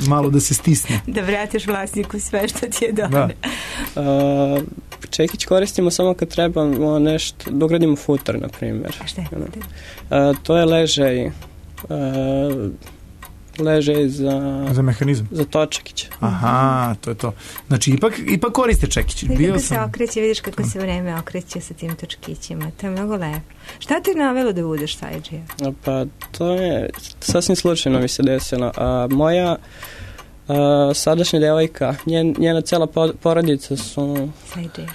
malo da se stisne. Da vratiš vlasniku sve što ti je dobro. Da. Čekić koristimo samo kad trebamo nešto, dogradimo futar, na primjer. A šta je futar? To je ležaj. A, ležaj za... Za mehanizam? Za točekić. Aha, to je to. Znači, ipak, ipak koriste čekić. Bio kako sam... se okreće, vidiš kako se vreme okreće sa tim točkićima. To je mnogo lepo. Šta te navelo da budeš sajđija? Pa, to je sasvim slučajno mi se desilo. A, moja a, sadašnja devojka, njen, njena cela porodica su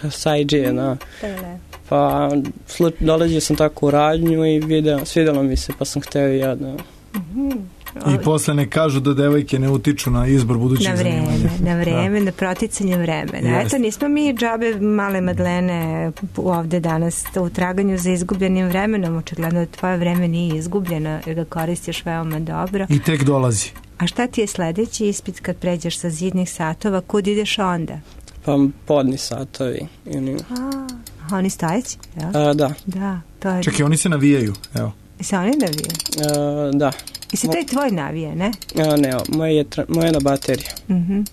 sajđije, da. To je lepo. Pa, sluč, dolazio sam tako u radnju i video, svidjelo mi se, pa sam hteo i ja da... Mhm. I posle ne kažu da devojke ne utiču na izbor budućih na vreme, zanimanja. Na vreme, da. Na proticanje vremena. Yes. Eto, nismo mi džabe male Madlene ovde danas u traganju za izgubljenim vremenom. Očigledno da tvoje vreme nije izgubljeno jer ga koristiš veoma dobro. I tek dolazi. A šta ti je sledeći ispit kad pređeš sa zidnih satova? Kud ideš onda? Pa podni satovi. Oni... A, oni stojeći? A, da. Da, to je... Čekaj, oni se navijaju, evo. I se oni navijaju? A, da. I se taj tvoj navije, ne? A, ne, moje je, tra... moje je na bateriju. Mhm. Mm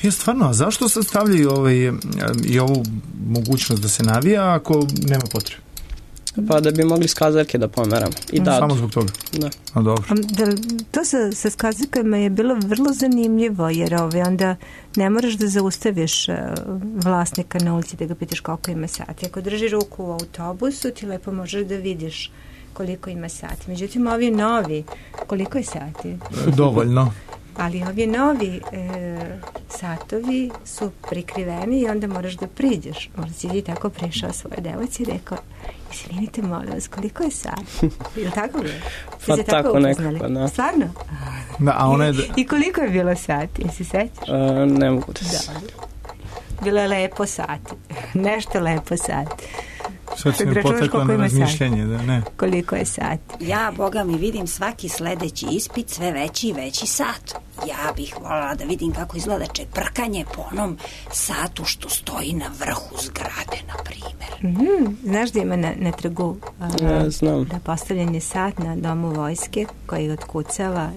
je stvarno, a zašto se stavljaju ovaj, i ovu mogućnost da se navija ako nema potrebe? Pa da bi mogli skazarke da pomeramo. I da. Samo zbog toga? Da. A dobro. Da, to sa, sa skazarkama je bilo vrlo zanimljivo, jer ovaj, onda ne moraš da zaustaviš uh, vlasnika na ulici da ga pitaš koliko ima sati. Ako drži ruku u autobusu, ti lepo možeš da vidiš koliko ima sati. Međutim, ovi novi, koliko je sati? Dovoljno. Ali ovi novi e, satovi su prikriveni i onda moraš da priđeš. Možda si ti tako prišao svoje devojci i rekao, izvinite, molim vas, koliko je sat? Ili tako bilo? Pa tako, tako nekako, da. Stvarno? Da, a ona je... I koliko je bilo sati, jesi sećaš? Uh, ne mogu da se... Bilo je lepo sati. Nešto lepo sati. Sad si me potekla na razmišljanje, da ne. Koliko je sati? Ja, Boga mi, vidim svaki sledeći ispit sve veći i veći sat. Ja bih voljela da vidim kako izgleda čeprkanje po onom satu što stoji na vrhu zgrade, na primjer. Mm-hmm. Znaš da ima na, na trgu uh, ja, znam. da postavljen je sat na domu vojske koji otkucava.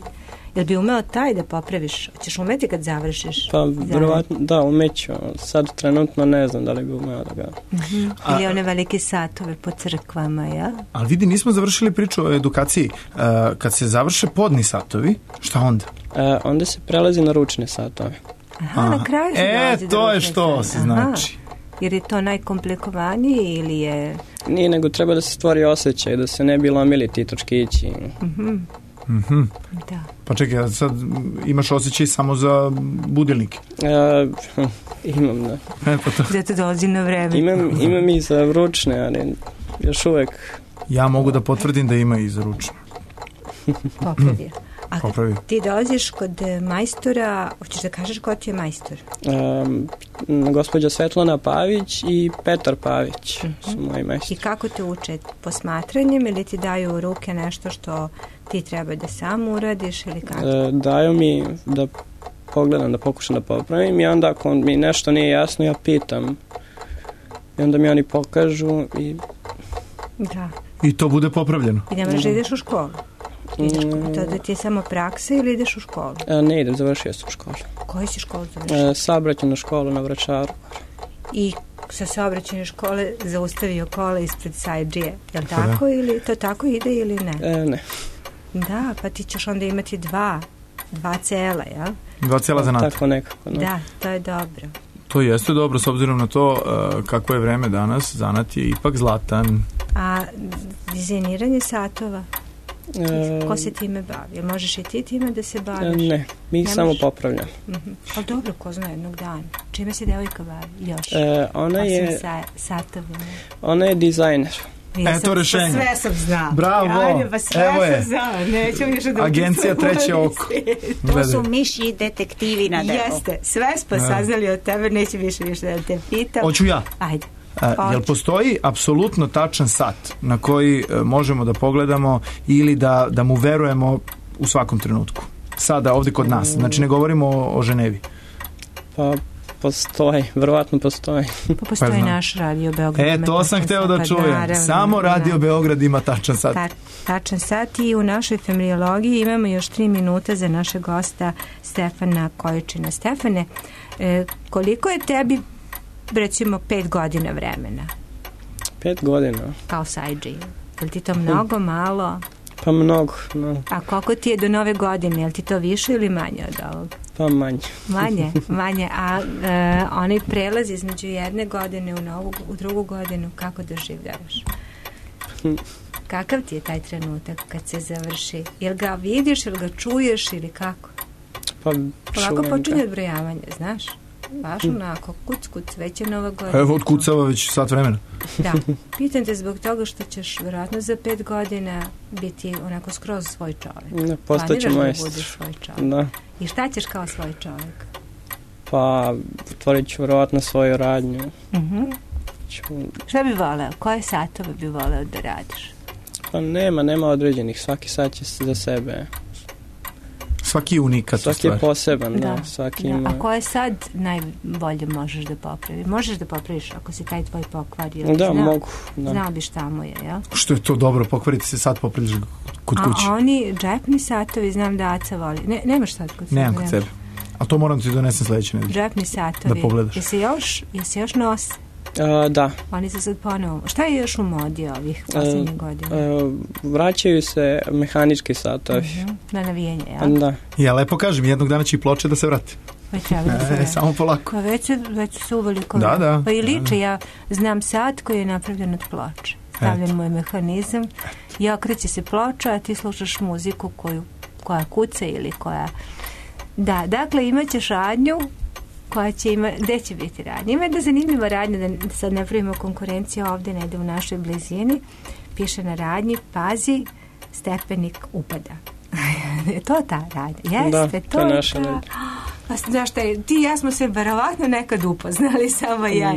Jel bi umeo taj da popraviš? Hoćeš umeti kad završiš? Pa, verovatno, da, umeću. Sad trenutno ne znam da li bi umeo da ga... Mm-hmm. Ili one velike satove po crkvama, ja? Ali vidi, nismo završili priču o edukaciji. Uh, kad se završe podni satovi, šta onda? Uh, onda se prelazi na ručne satove. Aha, Aha. na kraju se E, to je što se znači. Jer je to najkomplikovanije ili je... Nije, nego treba da se stvori osjećaj, da se ne bi lomili ti točkići. Mhm. Mhm. Da. Pa čekaj, sad imaš osjećaj samo za budilnike? Uh, imam, da. E, pa to. Zato dolazi na vreme. Imam, imam i za ručne, ali još uvek... Ja mogu da potvrdim da ima i za ručne. Popravio. A Popravi. Ti dolaziš kod majstora, hoćeš da kažeš ko ti je majstor? Um, gospođa Svetlana Pavić i Petar Pavić uh-huh. su moji majstori. I kako te uče? Posmatranjem ili ti daju u ruke nešto što ti treba da sam uradiš ili kako? Uh, daju mi da pogledam, da pokušam da popravim i onda ako mi nešto nije jasno ja pitam i onda mi oni pokažu i... Da. I to bude popravljeno? I ne moraš da ideš u školu? Ideš, to da ti je samo praksa ili ideš u školu? A, ne idem, završio sam školu. Koju si školu završio? Saobraćajnu školu na Vračaru. I sa saobraćajne škole zaustavio kola ispred Sajdžije. Je li tako da. Ili to tako ide ili ne? E, ne. Da, pa ti ćeš onda imati dva, dva cela, jel? Dva cela zanata. Tako nekako. Ne? Da, to je dobro. To jeste dobro, s obzirom na to uh, kako je vreme danas, zanat je ipak zlatan. A dizajniranje satova? E, ko se time bavi? Jel možeš i ti time da se baviš? Ne, mi ih samo popravljam. Uh-huh. Ali dobro, ko zna jednog dana. Čime se devojka bavi još? E, ona je... Sa, satovima. Ona je dizajner. Ja e, to rešenje. Sve sam znao. Bravo. Ajde, pa sve Evo je. sam znao. Neću više da Agencija treće oko. To su miši detektivi na delu. Jeste, sve smo saznali od tebe, neću više više da te pitam. Hoću ja. Ajde. A, jel postoji apsolutno tačan sat na koji e, možemo da pogledamo ili da, da mu verujemo u svakom trenutku? Sada, ovdje kod nas. Znači, ne govorimo o, o Ženevi. Pa, postoji. Verovatno postoji. Pa postoji pa naš Radio Beograd. E, to sam hteo da čujem. Naravno, samo Radio Beograd ima tačan sat. Ta, tačan sat i u našoj familiologiji imamo još tri minuta za našeg gosta Stefana Kojičina. Stefane, e, koliko je tebi recimo pet godina vremena? Pet godina? Kao Sajdži. Je li ti to mnogo, malo? Pa mnogo, no. A koliko ti je do nove godine? Je li ti to više ili manje od ovog? Pa manje. Manje, manje. A e, onaj prelaz između jedne godine u, novu, u drugu godinu, kako doživljavaš? Kakav ti je taj trenutak kad se završi? Jel ga vidiš, jel ga čuješ ili kako? Pa Polako počinje odbrojavanje, znaš? Baš onako, kuc, kuc, već je nova godina. Evo, odkucava već sat vremena. Da, pitam te zbog toga što ćeš vjerojatno za pet godina biti onako skroz svoj čovjek. Ne, postaće majstor. Da svoj čovjek. Da. I šta ćeš kao svoj čovjek? Pa, otvorit ću vjerojatno svoju radnju. Uh-huh. Ću... Šta bi voleo? Koje satove bi voleo da radiš? Pa nema, nema određenih. Svaki sat će za sebe. Svaki je unikat. Svaki je poseban, da. da. Svaki da. Ima... A koje sad najbolje možeš da popravi? Možeš da popraviš ako si taj tvoj pokvario? Da, znao, mogu. Da. Znao bi šta mu je, jel? Što je to dobro, pokvariti se sad popraviš kod kuće. A oni džepni satovi, znam da Aca voli. Ne, nemaš sad kod sebe? Nemam kod sebe. A to moram ti donesem sledeće nedelje. Džepni satovi. Da pogledaš. Jesi još, jesi još nose? Uh, da. Oni se sad ponovo. Šta je još u modi ovih posljednjih uh, godina? Uh, vraćaju se mehanički satovi. Uh-huh. Na navijenje, jel? Da. Ja lepo kažem, jednog dana će i ploče da se vrati. Već treba da se vrati. E, samo polako. Pa već, već su uveliko. Da, da. Pa i liče, da, da. ja znam sat koji je napravljen od ploče. Stavljen mu je mehanizam i okreće se ploča, a ti slušaš muziku koju, koja kuca ili koja Da, dakle imat ćeš radnju koja će ima, gde će biti radnja? Ima jedna zanimljiva radnja, da sad ne pravimo konkurenciju ovde, negde u našoj blizini. Piše na radnji, pazi, stepenik upada. Je to ta radnja? Jeste, da, to, to je naša ta... radnja. Pa znaš šta, ti i ja smo se verovatno nekad upoznali, samo ja.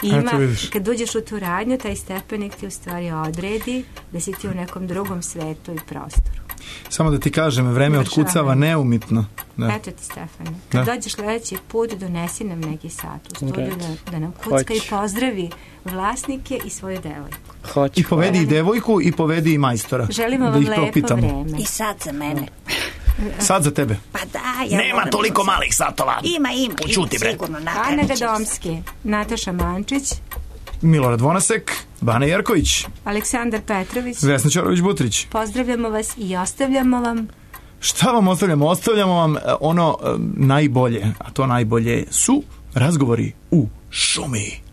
Ima, kad uđeš u tu radnju, taj stepenik ti u stvari odredi da si ti u nekom drugom svetu i prostoru. Samo da ti kažem, vreme otkucava neumitno. Da. Eto ti, Stefane. Kad da. dođeš sledeći put, donesi nam neki sat u studiju da, da nam kucka Hoć. i pozdravi vlasnike i svoju devojku. Hoć. I povedi i devojku i povedi i majstora. Želimo da vam lepo pitamo. vreme. I sad za mene. Sad za tebe. Pa da, ja nema toliko malih satova. Ima, ima. Počuti, bre. Ana Gadomski, Nataša Mančić, Milorad Vonasek, Bane Jerković, Aleksandar Petrović, Vesna Ćorović-Butrić. Pozdravljamo vas i ostavljamo vam. Šta vam ostavljamo? Ostavljamo vam ono najbolje, a to najbolje su razgovori u šumi.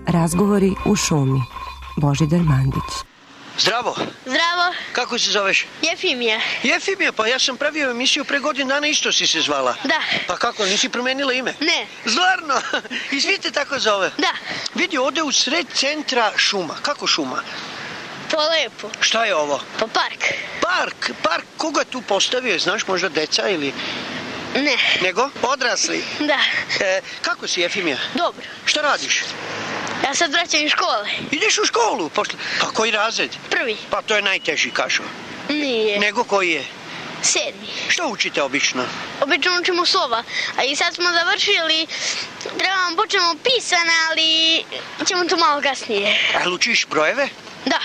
Razgovori u šumi. Božidar Mandić. Zdravo. Zdravo. Kako se zoveš? Jefimija. Jefimija, pa ja sam pravio emisiju pre godinu dana, isto si se zvala. Da. Pa kako, nisi promenila ime? Ne. Zlarno? I svi te tako zove? Da. Vidi, ovde u sred centra šuma. Kako šuma? To lepo. Šta je ovo? Pa park. Park? Park? Koga tu postavio? Znaš, možda deca ili... Ne. Nego? Odrasli? Da. E, kako si, Jefimija? Dobro. Šta radiš? Ja sad vraćam iz škole. Ideš u školu? Pošle... A koji razred? Prvi. Pa to je najteži, kažu. Nije. Nego koji je? Sedmi. Što učite obično? Obično učimo slova. A i sad smo završili, trebamo počnemo pisane, ali ćemo to malo kasnije. A učiš brojeve? Da.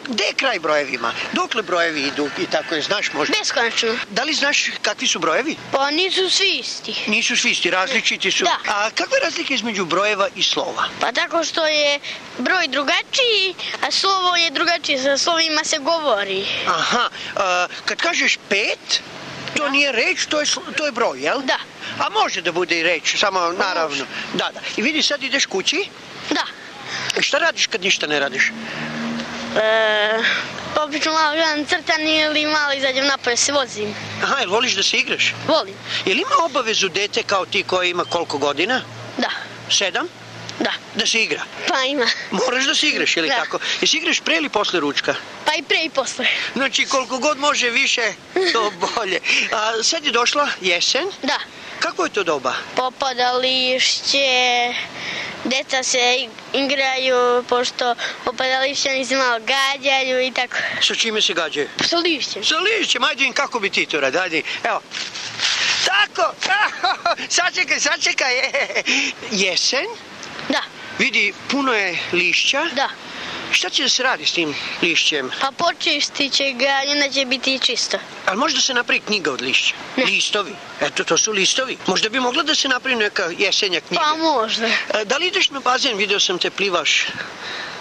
Gde je kraj brojevima? Dokle brojevi idu i tako je, znaš možda? Beskonačno. Da li znaš kakvi su brojevi? Pa nisu svi isti. Nisu svi isti, različiti su. Da. A kakva je razlika između brojeva i slova? Pa tako što je broj drugačiji, a slovo je drugačije, sa slovima se govori. Aha, a, kad kažeš pet, to da. nije reč, to je, to je broj, jel? Da. A može da bude i reč, samo naravno. Da, da. I vidi, sad ideš kući? Da. I šta radiš kad ništa ne radiš? E, obično malo gledam crtani ili malo izađem napolje se vozim. Aha, jel voliš da se igraš? Volim. Jel ima obavezu dete kao ti koja ima koliko godina? Da. Sedam? Da. Da se igra? Pa ima. Moraš da se igraš, ili da. tako? Jesi igraš pre ili posle ručka? Pa i pre i posle. Znači, koliko god može više, to bolje. A sad je došla jesen? Da. Kako je to doba? Popada lišće, deca se igraju, pošto popada lišće, oni se malo gađaju i tako. Sa čime se gađaju? Sa lišćem. Sa lišćem, ajde im, kako bi ti to radi, ajde, evo. Tako, sačekaj, sačekaj, jesen? Da. Vidi, puno je lišća. Da. Šta će da se radi s tim lišćem? Pa počistit će ga i onda će biti čisto. Ali možda se napravi knjiga od lišća? Ne. Listovi? Eto, to su listovi. Možda bi mogla da se napravi neka jesenja knjiga. Pa možda. Da li ideš na bazen? Video sam te plivaš.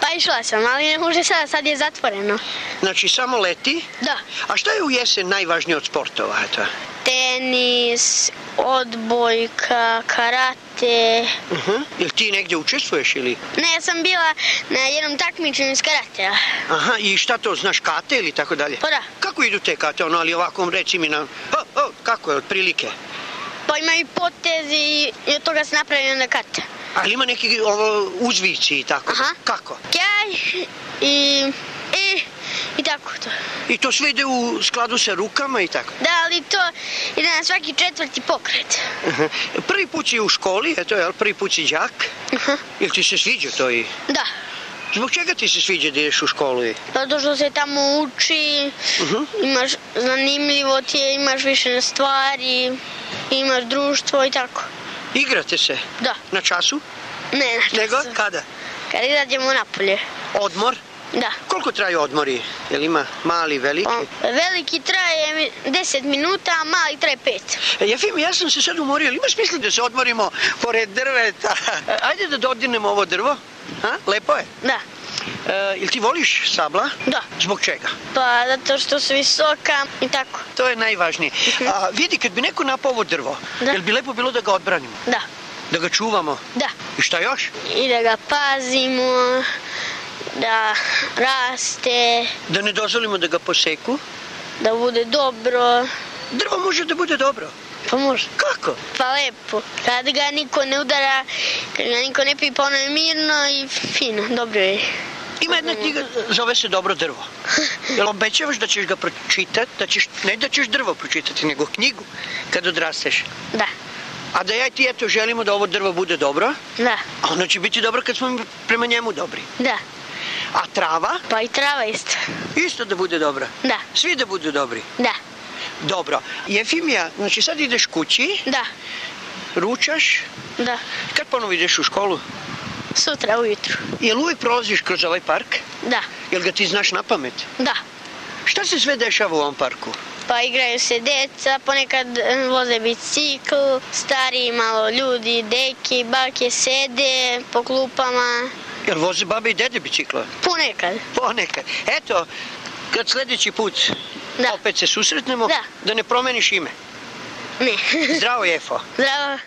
Pa išla sam, ali ne može sada, sad je zatvoreno. Znači, samo leti? Da. A šta je u jesen najvažnije od sportova, eto? Tenis, odbojka, karate. Uh-huh. Jel ti negdje učestvuješ ili? Ne, ja sam bila na jednom takmičenju iz karatea. Aha, i šta to, znaš, kate ili tako dalje? Pa da. Kako idu te kate, ono, ali ovako reci mi na... Oh, oh, kako je, otprilike? Pa imaju potezi i od toga se napravi onda kate. Ali ima neki ovo, uzvici i tako? Aha. Kako? Kjaj i... i... i tako to. I to sve ide u skladu sa rukama i tako? Da, ali to ide na svaki četvrti pokret. Uh-huh. Prvi put si u školi, eto, jel, prvi put si đak? Uh-huh. Jel ti se sviđa to i... Da. Zbog čega ti se sviđa da ideš u školu i... Zato što se tamo uči, uh-huh. imaš zanimljivo ti je, imaš više stvari, imaš društvo i tako. Igrate se? Da. Na času? Ne, na času. Nego, kada? Kad izađemo napolje. Odmor? Da. Koliko traju odmori? Jel ima mali, veliki? O, veliki traje deset minuta, a mali traje pet. E, Jefimi, ja sam se sad umorio, ali ima smisla da se odmorimo pored drveta? Ajde da dodirnemo ovo drvo. Ha? Lepo je? Da. E, ili ti voliš stabla? Da. Zbog čega? Pa zato što su visoka i tako. To je najvažnije. A vidi, kad bi neko napao ovo drvo, da. Jel bi lepo bilo da ga odbranimo? Da. Da ga čuvamo? Da. I šta još? I da ga pazimo, da raste. Da ne dozvolimo da ga poseku? Da bude dobro. Drvo može da bude dobro? Pa može. Kako? Pa lepo. Kad ga niko ne udara, kad ga niko ne pipa, ono je mirno i fino, dobro je. Ima jedna knjiga, zove se Dobro drvo. Jel obećavaš da ćeš ga pročitati, da ćeš, ne da ćeš drvo pročitati, nego knjigu kad odrasteš? Da. A da ja i ti eto želimo da ovo drvo bude dobro? Da. A ono će biti dobro kad smo prema njemu dobri? Da. A trava? Pa i trava isto. Isto da bude dobra? Da. Svi da budu dobri? Da. Dobro. Jefimija, znači sad ideš kući? Da. Ručaš? Da. Kad ponovo ideš u školu? Sutra ujutru. Jel uvijek prolaziš kroz ovaj park? Da. Jel ga ti znaš na pamet? Da. Šta se sve dešava u ovom parku? Pa igraju se deca, ponekad voze bicikl, stariji malo ljudi, deki, bake sede po klupama. Jel voze babe i dede bicikla? Ponekad. Ponekad. Eto, kad sljedeći put da. opet se susretnemo, da. da ne promeniš ime. Ne. Zdravo, Jefo. Zdravo.